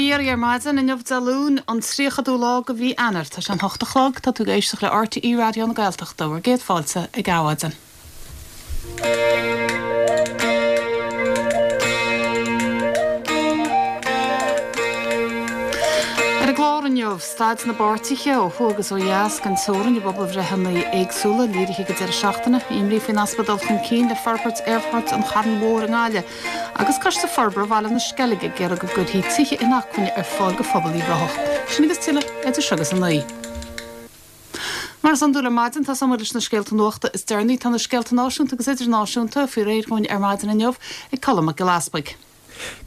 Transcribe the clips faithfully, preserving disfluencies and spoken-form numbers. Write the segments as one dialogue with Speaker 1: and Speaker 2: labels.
Speaker 1: iarraidh ar maidin inniu Dé Luain an tríochadú lá de mhí Eanáir tá sé an hocht a chlog tá tú ag éisteacht le RTÉ Raidió na Gaeltachta bhur gcéad fáilte ag Adhmhaidin. Ar an gclár inniu staid na bpáirtithe ó thuaidh agus ó dheas den teorainn i bpobalbhreitheanna éagsúla léirithe ag an deireadh seachtaine, imní faoin easpa dul chun cinn le forbairt aerfort an Chairn Mhóir i nGaillimh agus Coiste Forbartha Bhaile na Sceilge ag iarraidh go gcuirfí tithe inacmhainne ar fáil do phobal Uíbh Ráthach. Sin agus tuilleadh idir seo agus a naoi. Mar is iondúil ar maidin tá muid leis na scéalta nuachta is deireanaí tá na scéalta náisiúnta agus idirnáisiúnta faoi réir dúinn ar maidin inniu ag Colm Mac Giolla Easpaig.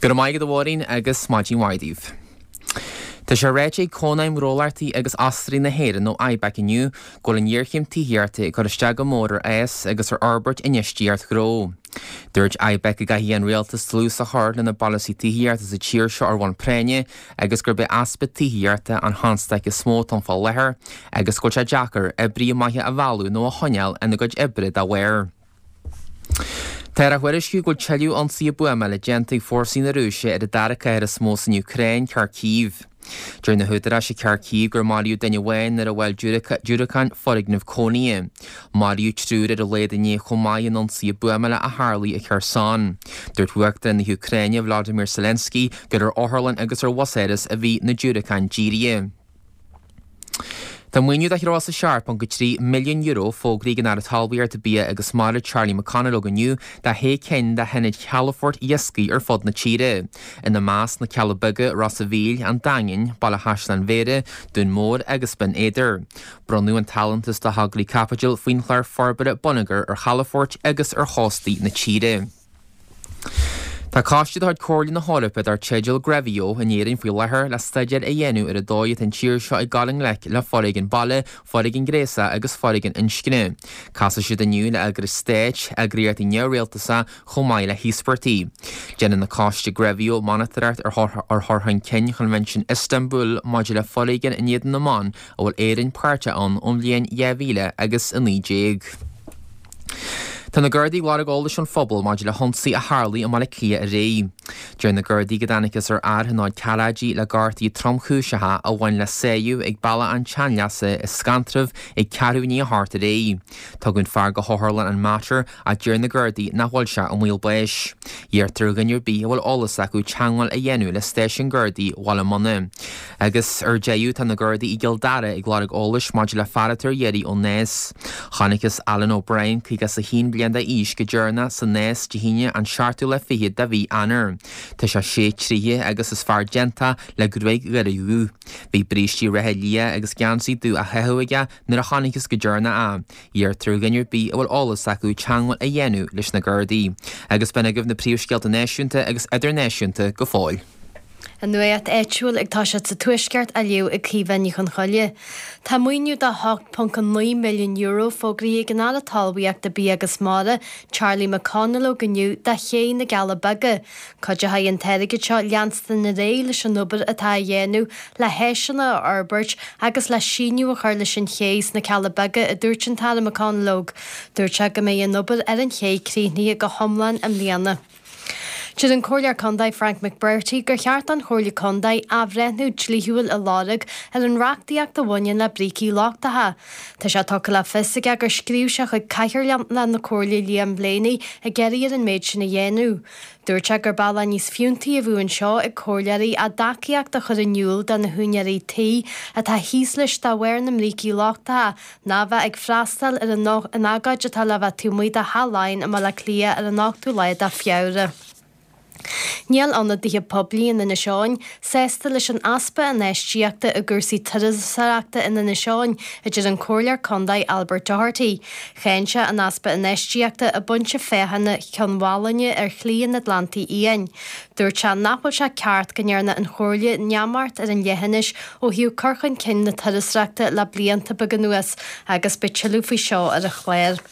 Speaker 2: Go raibh maith agat a Mháirín agus maidin mhaith daoibh. Tá sé ráite ag Cónaidhm Gnólachtaí agus Asraí na hÉireann nó IBEC inniu go bhfuil an ghéarchéim tithíochta ag cur isteach go mór ar fhás agus ar fhorbairt infheistíocht ghnó. Dúirt IBEC go gcaithfidh an rialtas dlús a chur lena bpolasaí tithíochta sa tír seo ar bhonn práinne agus gurb é easpa tithíochta an chonstaic is mó atá ann fá láthair agus go bhfuil sé deacair oibrithe maithe a mhealladh nó a choinneáil ina gcuid oibre dá bharr. Táthar á thuairisciú go bhfuil tuilleadh ionsaithe buamála déanta ag fórsaí na Rúise ar an dara cathair is mó san Úcráin, Kharkiv. Deir na húdaráis i Kharkiv gur maraíodh duine amháin nuair a bhuail diúracán foirgneamh cónaithe. Maraíodh triúr ar a laghad inné chomh maith in ionsaithe buamála a tharlaigh i Kherson. Dúirt Uachtarán na hÚcráine Volodymyr Zelensky gur ar otharlann agus ar bhusáras a bhí na diúracáin dírithe. Tá maoiniú de threoir sa seacht ponc a trí milliún euro fógraithe ag an Aire Talmhaíochta, Bia agus Mara Charlie McConalogue inniu do shé cinn de hionaid chalafoirt iascaigh ar fud na tíre. Ina measc na Cealla Beaga, Ros a' Mhíl, An Daingean, Baile Chaisleáin Bhéarra, Dún Mór agus Binn Éadair. Bronnadh an t-allúntas do thograí caipitil faoin chlár forbartha bonneagair ar chalafoirt agus ar chóstaí na tíre. Tá coiste de chuid Chomhairle na hEorpa dar teideal GREVIO in Éirinn faoi láthair le staidéar a dhéanamh ar an dóigh atá an tír seo ag dul i ngleic le foréigean baile, foréigean gnéasach agus foréigean inscne. Casfaidh siad inniu le eagrais stáit, eagraíochtaí neamhrialtasacha chomh maith le híospartaigh. Déanann an coiste GREVIO monatóireacht ar chur chun cinn Choinbhinsiún Iostanbúl maidir le foréigean in éadan na mban a bhfuil Éirinn páirteach ann ón bhliain dhá mhíle agus a naoi déag. Tá na Gardaí ag lorg eolais ón phobal maidir le hionsaí a tharlaigh i mBaile Átha Cliath aréir. Deir na Gardaí go dtángthas ar fhear thionóil ceathráidí le gortuithe tromchúiseacha a bhain le sáigh ag Bealach an tSeanleasa i Scantraf ag ceathrú i ndiaidh a hocht aréir. Tugadh an fear go hotharlann an Mater ach deir na Gardaí nach bhfuil sé i mbaol báis. Iarrtar ar dhuine ar bith a bhfuil eolas acu teagmháil a dhéanamh le stáisiún Gardaí Bhaile Munna. Agus ar deireadh tá na Gardaí i gCill Dara ag lorg eolais maidir le fear atá ar iarraidh ón Nás. Chonacthas Alan O'Brien, caoga is a haon bliain d'aois, go deireanach sa Nás Dé hAoine an seachtú lá fichead de mhí Eanáir. Tá sé sé troighe agus is fear déanta le gruaig ghairid dhubh. Bhí brístí reithe liath agus geansaí dubh á chaitheamh aige nuair a chonacthas go deireanach é. Iarrtar ar dhuine ar bith a bhfuil eolas acu teagmháil a dhéanamh leis na Gardaí. Agus b'in agaibh na príomhscéalta náisiúnta agus idirnáisiúnta go fóill.
Speaker 3: An nuacht áitiúil ag toiseacht sa Tuaisceart á léamh ag Caoimhe Ní Chonchoille. Tá maoiniú de hocht ponc naoi milliún euro fógraithe ag an Aire Talmhaíochta, Bia agus Mara, Charlie McConalogue inniu do ché na gCealla Beaga. Cuideoidh an t-airgead seo leanstan ar aghaidh leis an obair atá á dhéanamh le háiseanna a fhorbairt agus le síneadh a chur leis an ché sna Cealla Beaga, a dúirt an tAire McConalogue. Dúirt sé go mbeidh an obair ar an ché críochnaithe go hiomlán i mbliana. Deir an Comhairleoir Contae Frank McBrearty gur cheart don Chomhairle Contae athbhreithniú dlíthiúil a lorg ar an reachtaíocht a bhaineann le brící lochtacha. Tá sé tugtha le fios aige gur scríobh sé chuig Cathaoirleach na Comhairle Liam Blaney ag iarraidh air an méid sin a dhéanamh. Dúirt sé gur bealach níos fiúntaí a bheadh anseo ag comhairleoirí a dtacaíocht a chur in iúl do na húinéirí tí atá thíos leis de bharr na mbrící lochtacha ná bheith ag freastal ar an agóid atá le bheith taobh amuigh de Theach Laighean i mBaile Átha Cliath ar an ochtú lá de Feabhra. Níl ionadaithe poiblí in Inis Eoghain sásta leis an easpa infheistíochta i gcúrsaí turasóireachta in Inis Eoghain, a deir an Comhairleoir Contae Albert Doherty. Cháin sé an easpa infheistíochta i bpointe féachana Chionn Mhálanna ar Shlí an Atlantaigh Fhiáin. Dúirt sé nach bhfuil sé ceart go ndearna an Chomhairle neamart ar an leithinis ó thaobh cur chun cinn na turasóireachta le blianta beaga anuas agus beidh tuilleadh faoi seo ar an chlár.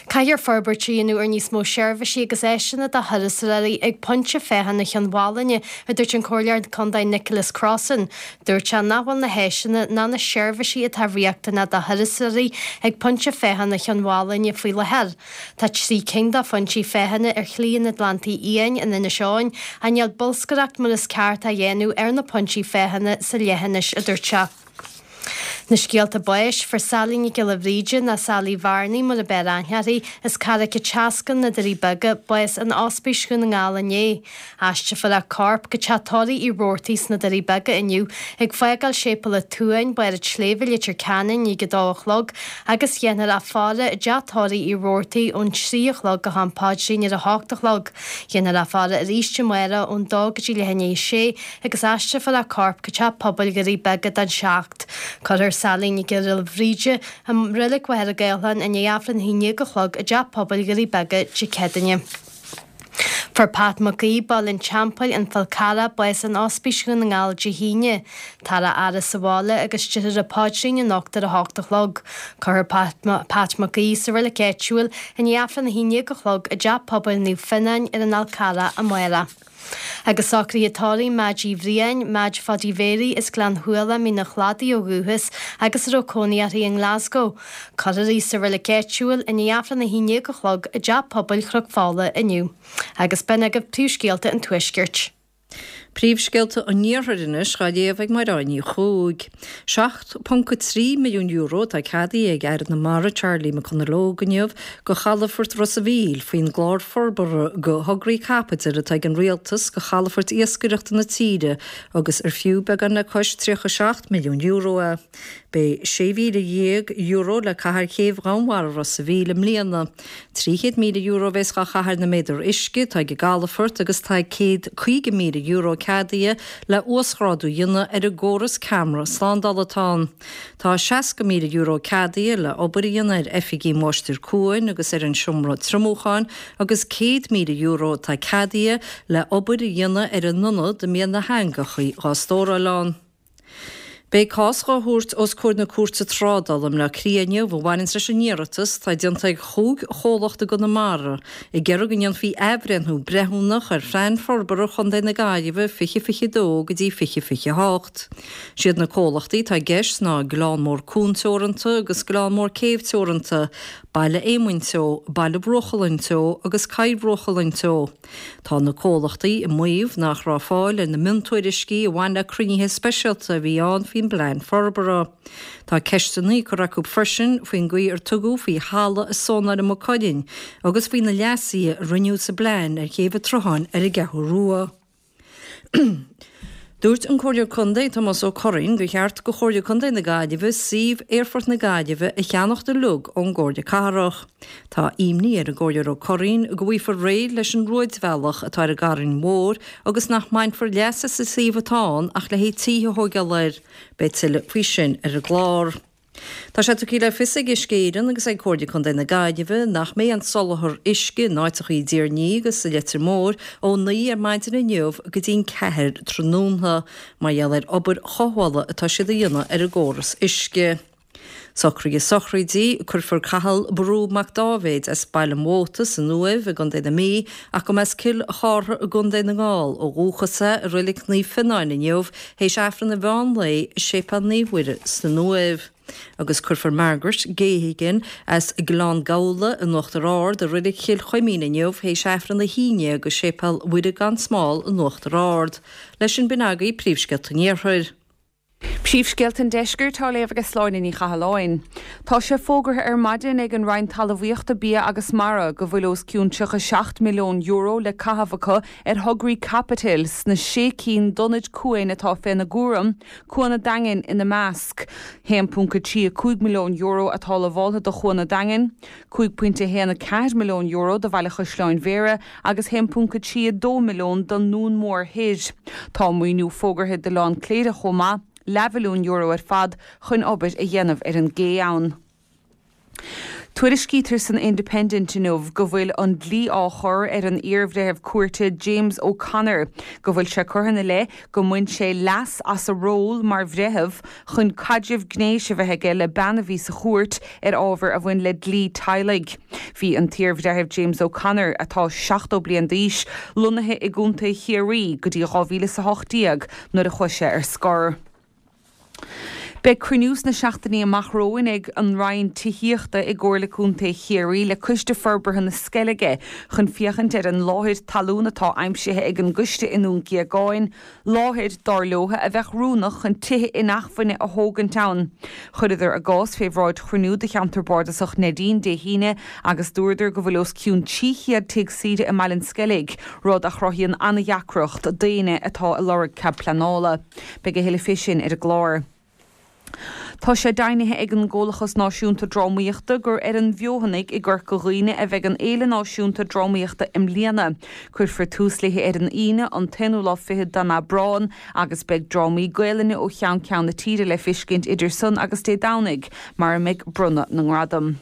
Speaker 3: Caithfear forbairt a dhéanamh ar níos mó seirbhísí agus áiseanna do thurasóirí ag pointe féachana Chionn Mhálanna, a dúirt an Comhairleoir Contae Nicholas Crossan. Dúirt sé nach bhfuil na háiseanna ná na seirbhísí atá riachtanach do thurasóirí ag pointe féachana Chionn Mhálanna faoi láthair. Tá trí cinn de phointí féachana ar Shlí an Atlantaigh Fhiáin in Inis Eoghain ach níl bolscaireacht mar is ceart á dhéanamh ar na pointí féachana sa leithinis, a dúirt sé. Na scéalta báis, fuair Sally Nic Giolla Bhríde, nó Sally Bhearnaí mar ab fhearr aithne uirthi, as Carraig an tSeascann, na Doirí Beaga, bás in Ospís Dhún na nGall inné. Aistrefar a corp go teach tórraimh Uí Robhartaigh sna Doirí Beaga inniu, ag fágáil Séipéal an tSuain, Barr an tSléibhe, Leitir Ceanainn, i ndiaidh a dó a chlog, agus dhéanfar a faire i dteach tórraimh Uí Robhartaigh ón trí a chlog go ham paidrín ar a hocht a chlog. Dhéanfar a faire arís amárach ón dó go dtí leath i ndiaidh a sé agus aistrefar a corp go teach pobail Dhoirí Beaga don seacht. Cuirfear Sally Nic Giolla Bhríde i Reilig Mhachaire Gathlán i ndiaidh Aifreann a haon déag a chlog i dTeach Pobail Dhoirí Beaga Dé Céadaoine. Fuair Pat Mac Aoidh, Baile an Teampaill, An Fál Carrach, bás in Ospís Dhún na nGall Dé hAoine. Táthar á fhaire sa bhaile agus déarfar an paidrín anocht ar a hocht a chlog. Cuirfear Pat, Pat Mac Aoidh sa reilig áitiúil i ndiaidh Aifreann a haon déag a chlog i dTeach Pobail Naomh Fionnáin ar an Fhál Carrach amárach. Agus socruithe tórraimh Meaid Uí Bhriain, Meaid Pháidí Mhéaraí as Gleann Shuala, Mín an Chladaigh ó dhúchas agus a raibh cónaí uirthi i nGlasgow. Cuirfear í sa reilig áitiúil i ndiaidh Aifreann a haon déag a chlog i dTeach Pobail Chnoc Fola inniu. Agus b'in agaibh príomhscéalta an Tuaiscirt.
Speaker 4: Príomhscéalta an Iarthair anois á léamh ag Mairéad Ní Chuaig. seacht ponc a trí milliún euro atá ceadaithe ag Aire na Mara Charlie McConalogue inniu do chalafort Ros a' Mhíl faoin gclár forbartha do thograí caipitil atá ag an Rialtas do chalafoirt iascaireachta na tíre agus ar fiú beagán le cois tríocha seacht milliún euro é. Beidh sé mhíle dhéag euro le caitheamh ar chéibh dhomhainmhara Ros a' Mhíl i mbliana. Trí chéad míle euro a bheas dhá chaitheamh ar na méadair uisce atá ag an gcalafort agus tá céad caoga míle euro ceadaithe le uasghrádú a dhéanamh ar an gcóras ceamara slándála atá ann. Tá seasca míle euro ceadaithe le obair a dhéanamh ar oifigí Mháistir Cuain agus ar an seomra triomúcháin agus céad míle euro atá ceadaithe le obair a dhéanamh ar an ionad a mbíonn na heangacha dhá stóráil ann. Beidh cás dhá thabhairt os comhair na Cúirte Trádála i mBleá Cliath inniu a bhaineanns leis an iarratas atá déanta ag chúig chomhlacht i gConamara ag iarraidh go ndéanfaí athbhreithniú breithiúnach ar Phlean Forbartha Chontae na Gaillimhe fiche fiche dó go dtí fiche fiche hocht. Siad na comhlachtaí atá i gceist ná Gleann Mór Cuan Teoranta agus Gleann Mór Céibh Teoranta, Baile Éamoinn Teo, Baile Bhruachlann Teo agus Coill Bhruachlann Teo. Tá na comhlachtaí ag maíomh nach raibh fáil ar na miontuairiscí a bhain le cruinnithe speisialta a bhí ann faoin bplean forbartha. Tá ceisteanna curtha acu freisin faoin gcaoi ar tugadh faoi thalamh a zónáil i Maigh Cuilinn agus faoi na leasuithe a rinneadh sa bplean ar Chéibh an tSrutháin ar an gCeathrú Rua. Dúirt an Comhairleoir Contae Tomás Ó Curraoin gur cheart do Chomhairle Contae na Gaillimhe suíomh Aerfort na Gaillimhe a cheannacht uilig ón gComhairle Cathrach. Tá imní ar an gComhairleoir Ó Curraoin go bhfaighfear réidh leis an rúidbhealach atá ar an gCarn Mhór agus nach mbainfear leas as an suíomh atá ann ach le haghaidh tithe a thóigeáil air. Beidh tuilleadh faoi sin ar an gclár. Tá sé tugtha le fios ag Uisce Éireann agus ag Comhairle Contae na Gaillimhe nach mbeidh an soláthar uisce in áiteacha i dTír an Fhia agus sa Leitir Móir ó naoi ar maidin inniu go dtí'n ceathair tráthnóna mar gheall ar obair chothabhála atá siad a dhéanamh ar an gcóras uisce. Socruithe sochraidí, Cuirfear Cathal Brú Mac Dáibhéid as Baile an Mhóta san Uaimh i gContae na Mí ach go mba as Cill Chártha i gContae na nGall ó dhúchas é i Reilig Naomh Fionnáin inniu théis Aifreann an mheán lae i Séipéal Naomh Mhuire san Uaimh. Agus cuirfear Margaret Geoghegan as Gleann Gabhla in Uachtar Ard i Reilig Chill Chuimín inniu théis Aifreann a haon déag i Séipéal Mhuire gan Smál in Uachtar Ard. Leis sin b'in agaibh príomhscéalta an Iarthair.
Speaker 5: Príomhscéalta an Deiscirt á léamh ag Sláine Ní Chathalláin. Tá sé fógartha ar maidin ag an Roinn Talmhaíochta Bia agus Mara go bhfuil os cionn tríocha seacht milliún euro le caitheamh acu ar thograí caipitil sna sé cinn d'ionaid cuain atá féna gcúram, Cuan an Daingin ina measc. haon ponc a trí a cúig milliún euro atá lamháltha do Chuan an Daingin, cúig pointe a haon a ceathair milliún euro do Bhaile Chaisleáin Bhéarra agus haon ponc a trí a dó milliún don nDún Mór Thoir. Tá maoiniú fógartha d'Oileán Cléire chomh maith, leathmhilliún euro ar fad chun obair a dhéanamh ar an gcé ann. Tuairiscítear san Independent inniu go bhfuil an dlí á chur ar an iarbhreitheamh cúirte James O'Connor go bhfuil sé curtha ina leith go mbain sé leas as a ról mar bhreitheamh chun caidreamh gnéis a bheith aige le bean a bhí sa chúirt ar ábhar a bhain le dlí teaghlaigh. Bhí an t-iarbhreitheamh James O'Connor, atá seachtó bliain d'aois, lonnaithe i gContae Chiarraí go dtí dhá mhíle is a hocht déag nuair a chuaigh sé ar scor. Beidh cruinniú sna seachtainí amach romhainn ag an Roinn Tithíochta i gComhairle Contae Chiarraí le Coiste Forbartha na Sceilge chun féachaint ar an láthair talún atá aimsithe ag an gcoiste i nDún Géagáin, láthair, dar leo, a bheadh oiriúnach chun tithe inacmhainne a thógaint ann. Chuireadar a gcás fé bhráid chruinniú de Cheantar Bardasach Neidín Dé hAoine agus dúradar go bhfuil os cionn trí chéad tigh saoire i mBaile an Sceilg, rud a chruthaíonn an-dheacracht d'éinne atá ag lorg cead pleanála. Beidh a thuilleadh fé sin ar an gclár. Tá sé deimhnithe ag an gComhlachas Náisiúnta Drámaíochta gur ar an bhFeothanaigh i gCorca Dhuibhne a bheidh an Fhéile Náisiúnta Drámaíochta i mbliana. Cuirfear tús léi ar an Aoine, an t-aonú lá fichead den Aibreán, agus beidh drámaí Gaelainne ó cheann ceann na tíre le feiscint idir san agus Dé Domhnaigh, mar a mbeidh bronnadh na ngradam.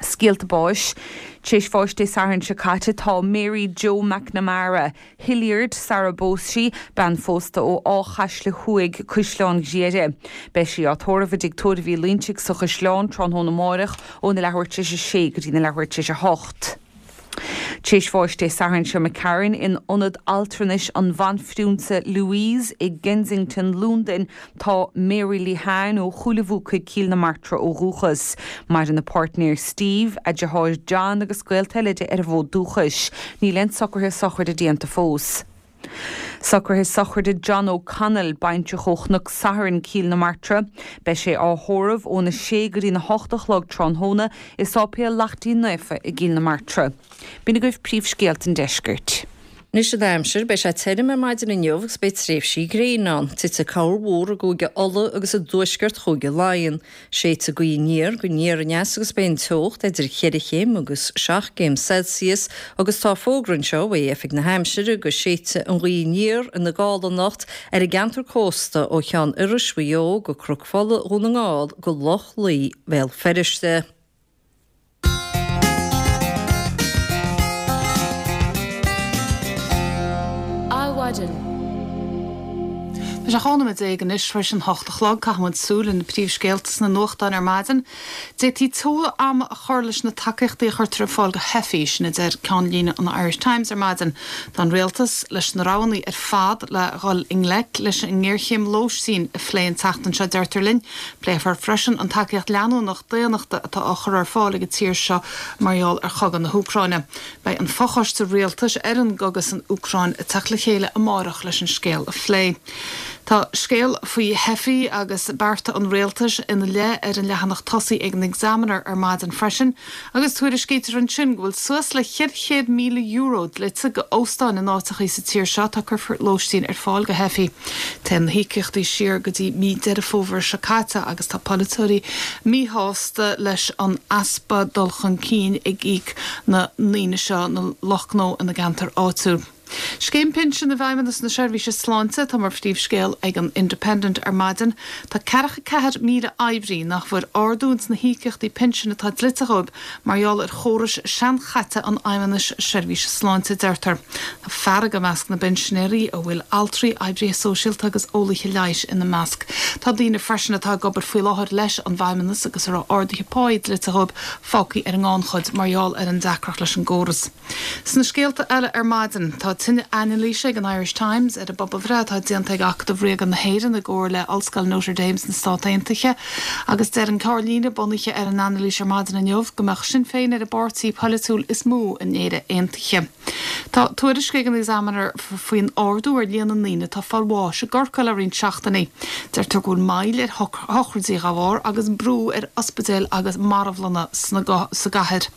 Speaker 5: Scéalta báis. Tar éis bháis Dé Sathairn seo caite tá Mary Joe McNamara, Hilliard, sara bpós sí, bean phósta ó Áth Chaisle Thuaidh, Caisleán Ghriaire. Beidh sí á tórramh i dTigh Tórraimh Uí Loinsigh sa Chaisleán tráthnóna amáireach óna leathuair tar éis a sé go dtí na leathuair tar éis a hocht. Tar éis bháis Dé Sathairn seo imigh tharainn in Ionad Altranais an Bhanphrionsa Louise i gKensington, Londain, tá Mary Lehane ó Chúil a' Bhuacaigh, Cill na Martra ó dhúchas. Maireann a páirtnéir Steve, a deartháir John agus gaolta eile di ar an bhfód dúchais. Níl aon socruithe sochraide déanta fós. Socruithe sochraide John O'Connell, baintreach ó Chnoc Sathairn, Cill na Martra. Beidh sé á thórramh óna sé go dtína hocht a chlog tráthnóna i Sáipéal Lachtaín Naofa i gCill na Martra. B'in agaibh príomhscéalta an deiscirt.
Speaker 4: Anois an aimsir, beidh sé tirim ar maidin inniu agus beidh tréimhsí gréine ann. Titfidh corrmhúr i gCúige Uladh agus i dtuaisceart Chúige Laighean. Séidfidh gaoth aniar go aniar aneas agus beidh an teocht idir cheithre chéim agus seacht gcéim Celsius agus tá fógra anseo uaidh Oifig na hAimsire go séidfidh an ghaoth aniar ina gála anocht ar an gceantar cósta ó Cheann Iorrais Mhaigh Eo go Cnoc Fola Dhún na nGall go Loch Lao Bhéal Feirste.
Speaker 1: Adhmhaidin. Tá sé dhá nóiméad déag anois tar éis an hocht a chlog. Caithfidh muid súil ar na príomhscéalta sna nuachtáin ar maidin. D'fhéadfaí tuilleadh ama a chur leis na tacaíochtaí a chuirtear ar fáil do theifigh, sin a deir ceannlíne an Irish Times ar maidin. Tá an rialtas leis na roghanna ar fad le dhul i ngleic leis an ngéarchéim lóistín a phlé an tseachtain seo, deirtear linn. Pléifear freisin an tacaíocht leanúnach daonnachta atá á chur ar fáil ag an tír seo mar gheall ar chogadh na hÚcráine. Beidh an fochoiste rialtais ar an gcogadh san Úcráin ag teacht le chéile amárach leis an scéal a phlé. Tá scéal faoi theifigh agus bearta an rialtais ina leith ar an leathanach tosaigh ag an Examiner ar maidin freisin agus tuairiscítear ansin go bhfuil suas le ceithre chéad míle euro dlite go óstáin in áiteachaí sa tír seo atá ag cur lóistín ar fáil go theifigh. Téann na híocaíochtaí siar go dtí mí Deireadh Fómhair seo caite agus tá polaiteoirí míshásta leis an easpa dul chun cinn ag íoc na ndaoine seo, na lucht gnó ina gceantar áitiúil. Scéim pinsin i bhFeidhmeannas na Seirbhíse Sláinte atá mar phríomhscéal ag an Independent ar maidin. Tá ceathracha ceathair míle oibrí nach bhfuair ardú ins na híocaíochtaí pinsin atá dlite dhóibh mar gheall ar chórais seanchaite an Fheidhmeannais Seirbhíse Sláinte, deirtear. Tá fearg i measc na bpinsinéirí, a bhfuil altraí, oibrithe sóisialta agus eolaithe leighis ina measc. Tá daoine freisin atá ag obair faoi láthair leis an bhFeidhmeannas agus a raibh arduithe páí dlite dhóibh fágtha ar an ngannchuid mar gheall ar an deacracht leis an gcóras. Sna scéalta eile ar maidin, tá tuilleadh anailíse ag an Irish Times ar an bpobalbhreith atá déanta ag Acadamh Ríoga na hÉireann i gcomhar le Ollscoil Notre Dame sna Stát Aontaithe agus deir an ceannlíne bunaithe ar an anailís ar maidin inniu go mbeadh Sinn Féin ar an bpáirtí polaitiúil is mó in Éire Aontaithe. Tá tuairisc ag an Examiner faoin ardú ar líon na ndaoine atá ag fáil bháis i gCorcaigh le roinnt seachtainí. Deirtear go bhfuil moill ar shochraidí dá bharr agus brú ar ospidéil agus marbhlanna sa gcathair.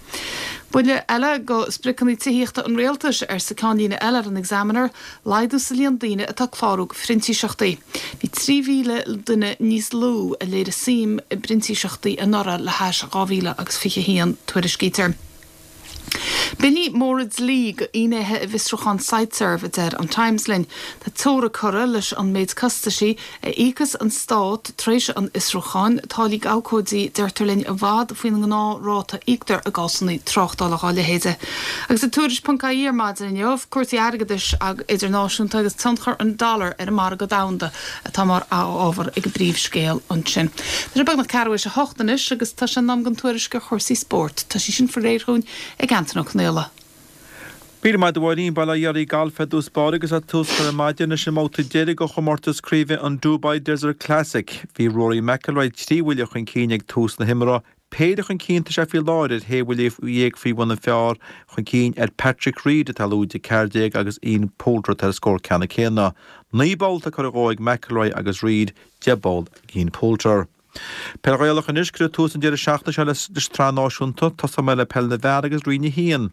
Speaker 1: Buille eile go spriocanna tithíochta an rialtais, arsa ceannlíne eile ar an Examiner, laghdú sa líon daoine atá ag clárú go phrintíseachtaí. Bhí trí mhíle duine níos lú a léirigh suim i bprintíseachtaí anuraidh le hais dhá mhíle agus fiche a haon, tuairiscítear. Billí móra dlí go fhinnéithe i bhfiosrúchán Siteserv, a deir an Times linn. Tá teora curtha leis an méid costaisí a íocas an stát tar éis an fhiosrúcháin, táillí abhcóidí, deirtear linn, i bhfad faoin ngnáthráta a íoctar i gcásanna tráchtála dá leithéide. Agus i Tuairisc ponc ie ar maidin inniu, cúrsaí airgeadais idirnáisiúnta agus tionchar an dollar ar an margadh domhanda atá mar ábhar ag an bpríomhscéal ansin. Tá sé beagnach ceathrú théis a hocht anois agus tá sé in am don tuairisc ar chúrsaí spóirt. Tá sí sin faoi réir dhúinn ag Antain Ó Conaola.
Speaker 6: Míle maith agat a Mháirín. Bail ó Dhia oraibh. Galf ar dtús báire agus tá tús curtha ar maidin leis an mbabhta deiridh de chomórtas craoibhe an Dubai Desert Classic. Bhí Rory McIlroy trí bhuille chun cinn ag tús na himeartha. Péire chun cinn tá sé faoi láthair ar shé bhuille dhéag faoi bhun an phar chun cinn ar Patrick Reed atá lúide ceathair déag agus Ian Poulter atá ar scór ceannann céanna. Naoi bpoll atá curtha dhó ag McIlroy agus Reed, deich bpoll ag Ian Poulter. Peil Ghaelach anois, cuireadh tús an deireadh seachtaine seo leis an tsraith náisiúnta, tosóidh mé le peil na bhfear agus Roinn a haon.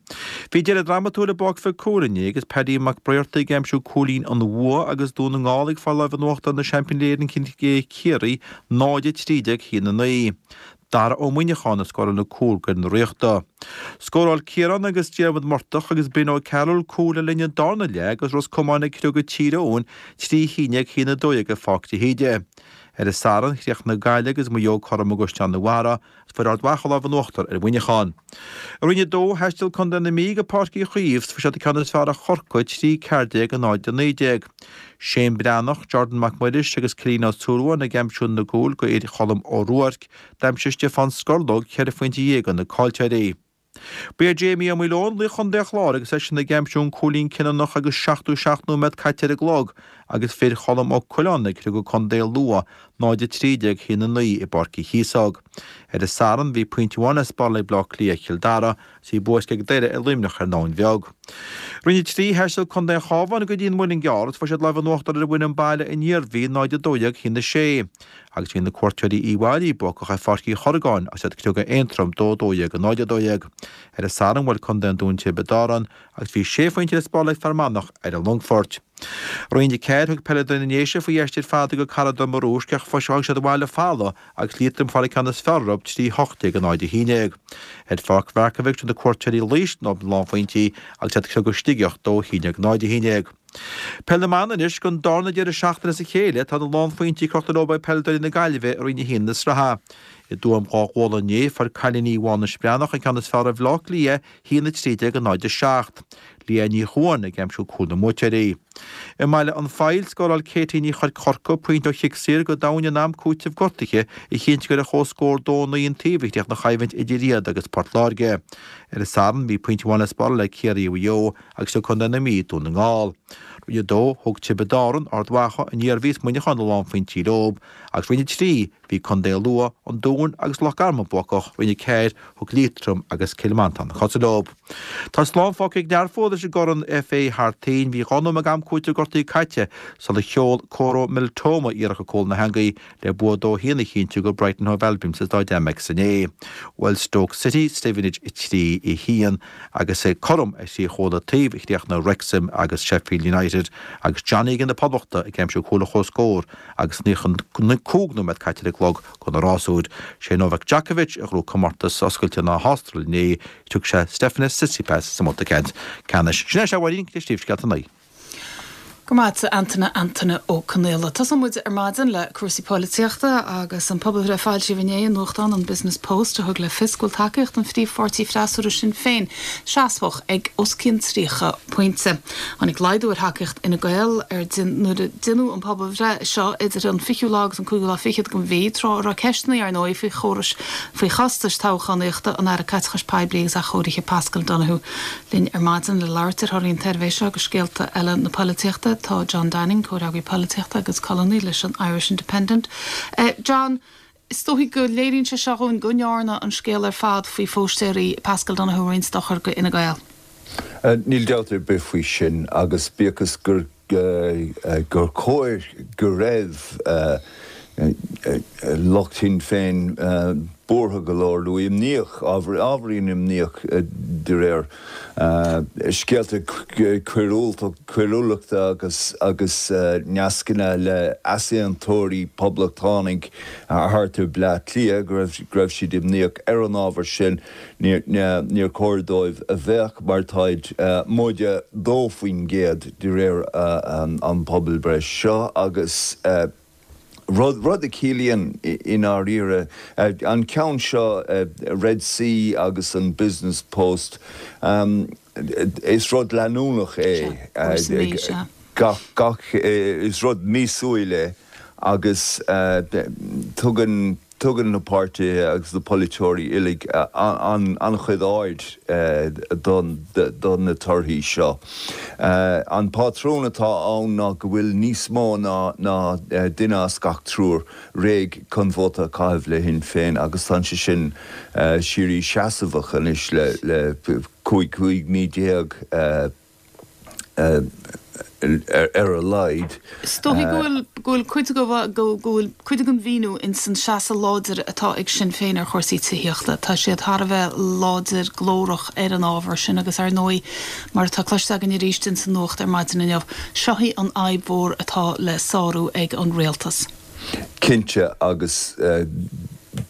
Speaker 6: Bhí deireadh drámatúil i bPáirc Mhic Cumhaill inné agus Paddy Mac Briartaigh ag aimsiú cúilín an bhua agus Dún na nGall ag fáil láimh in uachtar na seaimpíní Éireann Ciarraí náid a trí déag a haon a naoi. Dara Ó Muineacháin a scóráil an cúl d'fhir na Ríochta. Scóráil Ciarán agus Diarmuid Murtagh agus Ben O'Carroll cúil le linn an darna leath agus Ros Comáin ag criogadh Tír Eoghain trí a haon déag a haon a dó dhéag i Pháirc de hÍde. Ar an Satharn, chríochnaigh Gaillimh agus Maigh Eo cothrom i gCaisleán an Bharraigh agus fuair Ard Mhacha lámh in uachtar ar Mhuineachán. I Roinn a Dó, thaistil Contae na Mí go Páirc Uí Chaoimh 's fuair siad an ceann is fearr ar Chorcaigh, trí ceathair déag a náid a naoi déag. Shane Breathnach, Jordan Mac Muiris agus Cillian Ó Súilleabháin ag aimsiú na gcúl go fhir Cholm Ó Ruairc, d'aimsigh Stiofán Scorlóg ceithre phointe dhéag do na caillteoirí. Ba é Jamie Ó Maoileoin laoch Chontae an Chláir agus eisean ag aimsiú an cúilín cinniúnach agus seachtó seacht nóiméad caite ar an gclog agus fir Cholm Ó Coileáin ag criogadh Contae Lú náid a trí déag a haon a naoi i bPáirc Uí Chíosóg. Ar an Satharn bhí pointe amháin le spáráil ag Bleá Cliath Chill Dara agus bhí bua ag Doire ar Luimneach ar an Abhainn Bheag. Roinn a trí, Thaistil Contae an Chabháin go dtí an Muileann gCearr agus fuair siad lámh in uachtar ar an bhfoireann baile an Iarmhí náid a dó dhéag a haon a sé. Agus bhí na cuairteoirí Uíbh Fhailí buacach ar Pháirc Uí Chorragáin agus iad ag criogadh Aontroim dó dó dhéag a náid a dó dhéag. Ar an Satharn bhuail Contae an Dúin Tiobraid Árann agus bhí sé phointe le spáráil ag Fear Manach ar an Longfort. Roinn a ceathair, thug peileadóirí na nDéise faoi aistear fada go Carraig Donn Murúisc ach fuair siad abhaile folamh agus Liatroim ag fáil an ceann is fearr orthu trí hocht déag a náid a haon déag. Ar Pháirc Mharkievicz thug na cuairteoirí Laois na lánphointí agus iad ag criogadh Sligeach dó a haon déag náid a haon déag. Peil na mban anois, don darna deireadh seachtaine as a chéile tá na lánphointí crochta leo ag peileadóirí na Gaillimhe i Roinn a haon na sraithe. I dTuaim Dhá Ghualainn inné fuair cailíní Mhánais Breathnach an ceann is fearr ar Bhaile Átha Cliath a haon a trí déag a náid a seacht. Leah Ní Chuain ag aimsiú cúl na mbuaiteoirí. I mBaile an Phoill, scóráil Katie Ní Chorca pointe ó chic saor go domhain in am cúitimh gortaithe a chinntigh gur ar chomhscór dó naoi an taobh a chríochnaigh an choimhlint idir iad agus Port Láirge. Ar an Satharn bhí pointe amháin le spáráil ag Ciarraí Mhaigh Eo agus thug Contae na Mí Dún na nGall. Roinn a dó, thug Tiobraid Árann, Ard Mhacha, an Iarmhí is Muineachán na lánphointí leo agus Roinn a trí, bhí Contae Lú, an Dún agus Loch Garman buacach, Roinn a ceathair, thug Liatroim agus Cill Mhantáin na cosa leo. Tá slán fágtha ag Learpholl leis an gCorn F A thar toinn. Bhí dhá nóiméad am cúitimh gortaithe caite sular sheol Coro Mitoma iarracht go cúl na heangaí le bua dó haon a chinntiú go Brighton Hove Albion sa Stáid Amex inné. Bhuail Stoke City Stevenage a trí a haon agus cothrom ar thrí chúl an taobh a chríochnaigh Wrexham agus Sheffield United agus John Egan na Poblachta ag aimsiú cúl an chomhscóir agus naocha cúig nóiméad caite ar an gclog do na rásúir. Sé Novak Djokovic a ghnóthaigh comórtas oscailte na hAstráile inné, thug sé Stefanos Tsitsipas sa mbabhta ceannais. Sin é a Mháirín, le príomhscéalta an lae.
Speaker 1: Go maith Antaine Antaine Ó Conaola. Tosóidh muid ar maidin le cúrsaí polaitíochta agus an pobalbhreith a foilsíodh inné i nuachtán an Business Post a thug le fios go bhfuil tacaíocht an phríomhpháirtí freasúra Sinn Féin seasmhach ag os cionn tríocha pointe. Tháinig laghdú ar thacaíocht Fhine Gael ar nuair a deineadh an pobalbhreith seo idir an fichiú lá agus an cúigiú lá fichead den mhí, tráth a raibh ceisteanna ar ndóigh faoi chórais faoi chostais toghchánaíochta an Aire Caiteachais Poiblí agus Athchóirithe Paschal Donohoe linn ar maidin le labhairt ar thorthaí an tsuirbhé seo agus scéalta eile na polaitíochta. Tá John Downing, comhfhreagraí polaitíochta agus colúnaí leis an Irish Independent. Uh, John, is dóigh go léiríonn sé seo dhúinn go ndearna an scéal ar fad faoi phóstaeirí Paschal Donohoe roinnt dochar go Fhine Gael.
Speaker 7: Uh, níl dabht ar bith faoi sin agus bíodh is gur uh, gur chóir go raibh uh, lucht Shinn Féin buartha go leor nó imníoch, ábhairín imníoch de réir scéalta coiriúlachta agus agus nascanna le easaontóirí poblachtánaigh thart ar Bleá Cliath go raibh go raibh siad imníoch ar an ábhar sin. Níor chóir dóibh a bheith mar táid móide dó faoin gcéad de réir an pobalbhreith seo agus rud rud a chiallaíonn i ndáiríre an ceann seo Red C agus an Business Post is rud leanúnach é gach gach is rud míosúil é agus tugann tugann na páirtithe agus na polaiteoirí uilig an-chuid aird do na torthaí seo. An pátrún atá ann ná go bhfuil níos mó ná duine as gach triúr réidh chun vóta a chaitheamh le Shinn Féin agus tá sé sin síoraí seasmhach anois le cúig cúig mí déag. ar a laghad.
Speaker 1: Is dóigh go bhfuil go bhfuil cuid go go bhfuil cuid den mhíniú ins an seasamh láidir atá ag Sinn Féin ar chúrsaí tithíochta. Tá siad thar a bheith láidir glórach ar an ábhar sin agus ar ndóigh mar atá cloiste againn arís ins an nuacht ar maidin inniu, seo í an fhadhb mhór atá le sárú ag an rialtas.
Speaker 7: Cinnte agus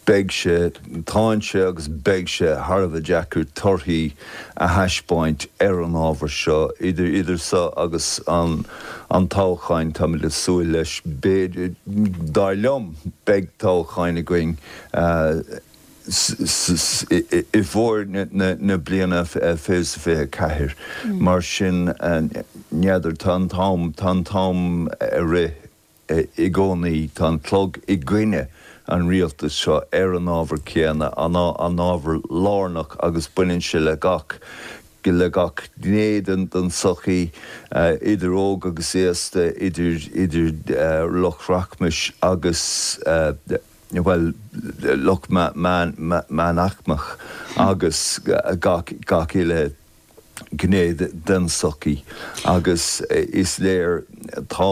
Speaker 7: beidh sé, tá sé agus beidh sé thar a bheith deacair torthaí a thaispeáint ar an ábhar seo, idir idir seo agus an an toghchán, táimid ag súil leis, b'fhéidir, dar liom, beidh toghchán againn i bhfómhar na bliana fiche is fiche a ceathair. Mar sin, n'fheadar, tá an t-am, tá an t-am ag rith. I gcónaí tá an clog i gcoinne an rialtais seo ar an ábhar céanna, an ábhar lárnach agus baineann sé le gach le gach gné den tsochaí, idir óg agus aosta, idir idir lucht rachmais agus, bhuel, lucht meánaicmeach agus gach gach uile gné den tsochaí agus is léir tá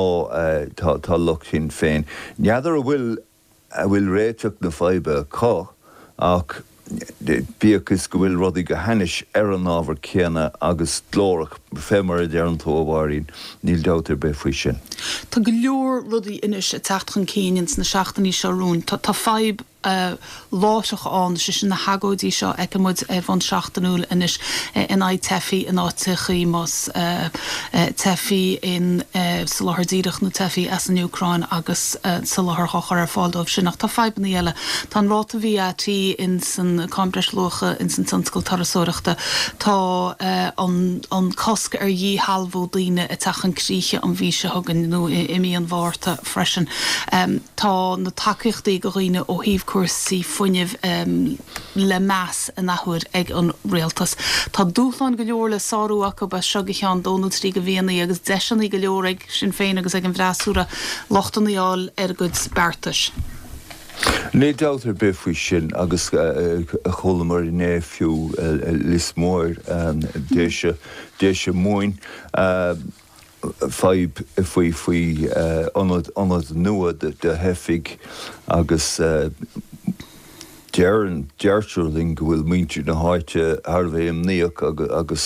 Speaker 7: tá tá lucht Shinn Féin. N'fheadar an bhfuil an bhfuil réiteach na faidhbe acu ach bíodh is go bhfuil rudaí go hainnis ar an ábhar céanna agus glórach fé mar a deireann tú a Mháirín, níl dabht ar bith faoi sin.
Speaker 1: Tá go leor rudaí anois ag teacht chun cinn ins na seachtainí seo romhainn. Tá tá fadhb láithreach ann, sé sin na hagóidí seo a fheiceann muid ar bhonn seachtainiúil anois in aghaidh teifigh in áiteachaí, más teifigh in soláthar díreach nó teifigh as an Úcráin agus soláthar á chur ar fáil dóibh sin. Ach tá fadhbanna eile. Tá an ráta VAT in san Cáin Bhreisluacha in san tionscal turasóireachta. Tá an cosc ar dhíshealbhú daoine ag teacht chun críche an mhí seo chugainn nó i mí an Mhárta freisin. Tá na tacaíochtaí do dhaoine ó thaobh cúrsaí fuinnimh le meas an athuair ag an rialtas. Tá dúshláin go leor le sárú acu as seo go ceann dó nó trí de mhíonna agus deiseanna go leor ag Sinn Féin agus ag an bhfreasúra lochtanna a fháil ar a gcuid beartais.
Speaker 7: Níl dabht ar bith faoi sin agus chualamar inné fiú Lios Mór, Déise, Déise Mumhan, fadhb faoi faoi ionad ionad nua do theifigh agus deireann deirtear linn go bhfuil muintir na háite thar a bheith imníoch agus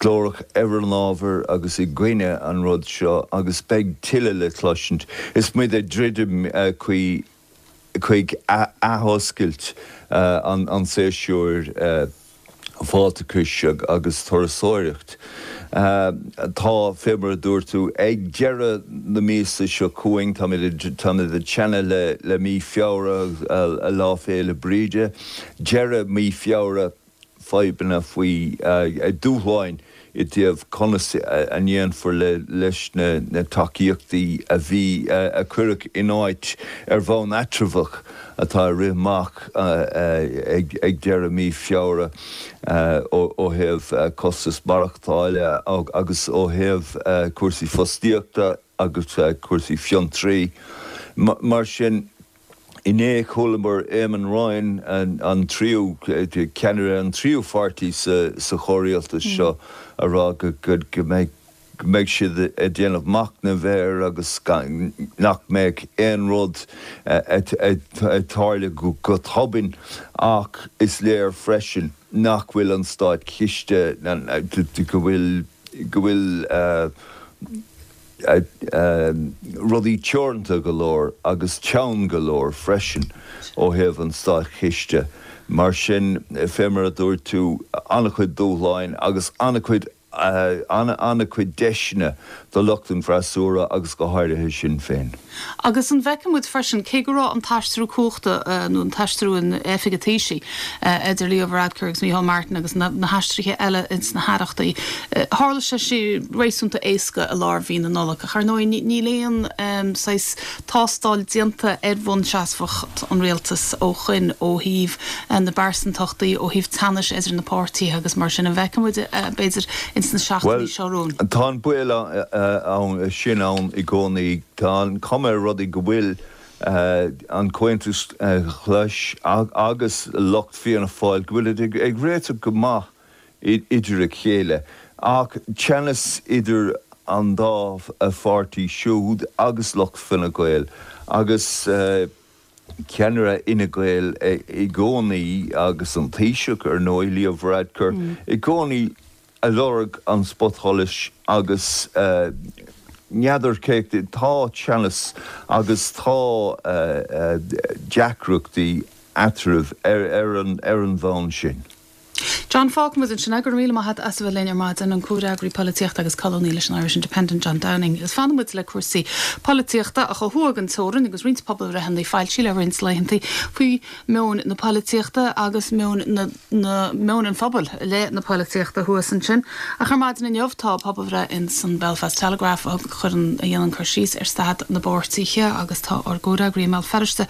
Speaker 7: glórach ar an ábhar agus i gcoinne an rud seo agus beidh tuilleadh le cloisint is muid ag druidim chuig chuig athoscailt an tséasúir fáilteachais agus turasóireacht. Tá, fé mar a dúirt tú, ag deireadh na míosa seo chugainn, táimid ag teannadh le mí Feabhra, Lá Féile Bríde, deireadh mí Feabhra, fadhbanna faoi dúshláin i dtaobh conas a ndéanfar leis na tacaíochtaí a bhí, a cuireadh in áit ar bhonn eatramhach atá ag rith amach ag deireadh mí Feabhra ó thaobh costas maireachtála agus ó thaobh cúrsaí fostaíochta agus cúrsaí fiontraí. Mar sin. Inné chualamar Eamon Ryan, an tríú ceannaire an tríú pháirtí sa chomhrialtas seo, a rá go mbeidh go mbeidh siad ag déanamh machnaimh air agus nach mbeidh aon rud ag tarlú go tobann ach is léir freisin nach bhfuil an státchiste, go bhfuil go bhfuil rudaí teoranta go leor agus teann go leor freisin ó thaobh an státchiste. Mar sin, fé mar a dúirt tú, an-chuid dúshláin agus an-chuid an-chuid deiseanna do lucht an fhreasúra agus go háirithe Sinn Féin.
Speaker 1: Agus an bhfeiceann muid freisin, cé go raibh an t-aistriú cumhachta nó an t-aistriú in oifig an Taoisigh idir Leo Varadkar agus Micheál Martin agus na haistrithe eile ins na haireachtaí, tharla sé sin réasúnta éasca i lár mhí na Nollag. Ach ar ndóigh níl aon saghas tástáil déanta ar bhunseasmhacht an rialtais ó shoin ó thaobh na bpearsantachtaí, ó thaobh teannais idir na páirtithe agus mar sin. An bhfeiceann muid b'fhéidir ins na seachtainí seo romhainn?
Speaker 7: Tá an baol ann sin ann i gcónaí. Tá an chuma ar rudaí go bhfuil an Comhaontas Glas agus lucht Fianna Fáil, go bhfuilid ag réiteach go maith idir a chéile. Ach teannas idir an dá pháirtí siúd agus lucht Fine Gael agus ceannaire Fhine Gael i gcónaí agus an Taoiseach ar ndóigh, Leo Varadkar, i gcónaí ag lorg an spotsholais agus n'fheadar cé, tá teannas agus tá deacrachtaí eatarthu ar an bhonn sin.
Speaker 1: John, fágfaidh muid ansin é. Go raibh míle maith agat as a bheith linn ar maidin, an comhfhreagraí polaitíochta agus colúnaí leis an Irish Independent, John Downing. Agus fanfaidh muid le cúrsaí polaitíochta ach ó thuaidh den teorainn agus roinnt pobalbhreitheanna foilsithe le roinnt laethanta faoi meon na polaitíochta agus meon na na meon an phobail i leith na polaitíochta thuas ansin. Ach ar maidin inniu tá pobalbhreith in san Belfast Telegraph a chuireann a dhéanann cur síos ar staid na bpáirtithe agus tá ár gcomhfhreagraí i mBéal Feirste,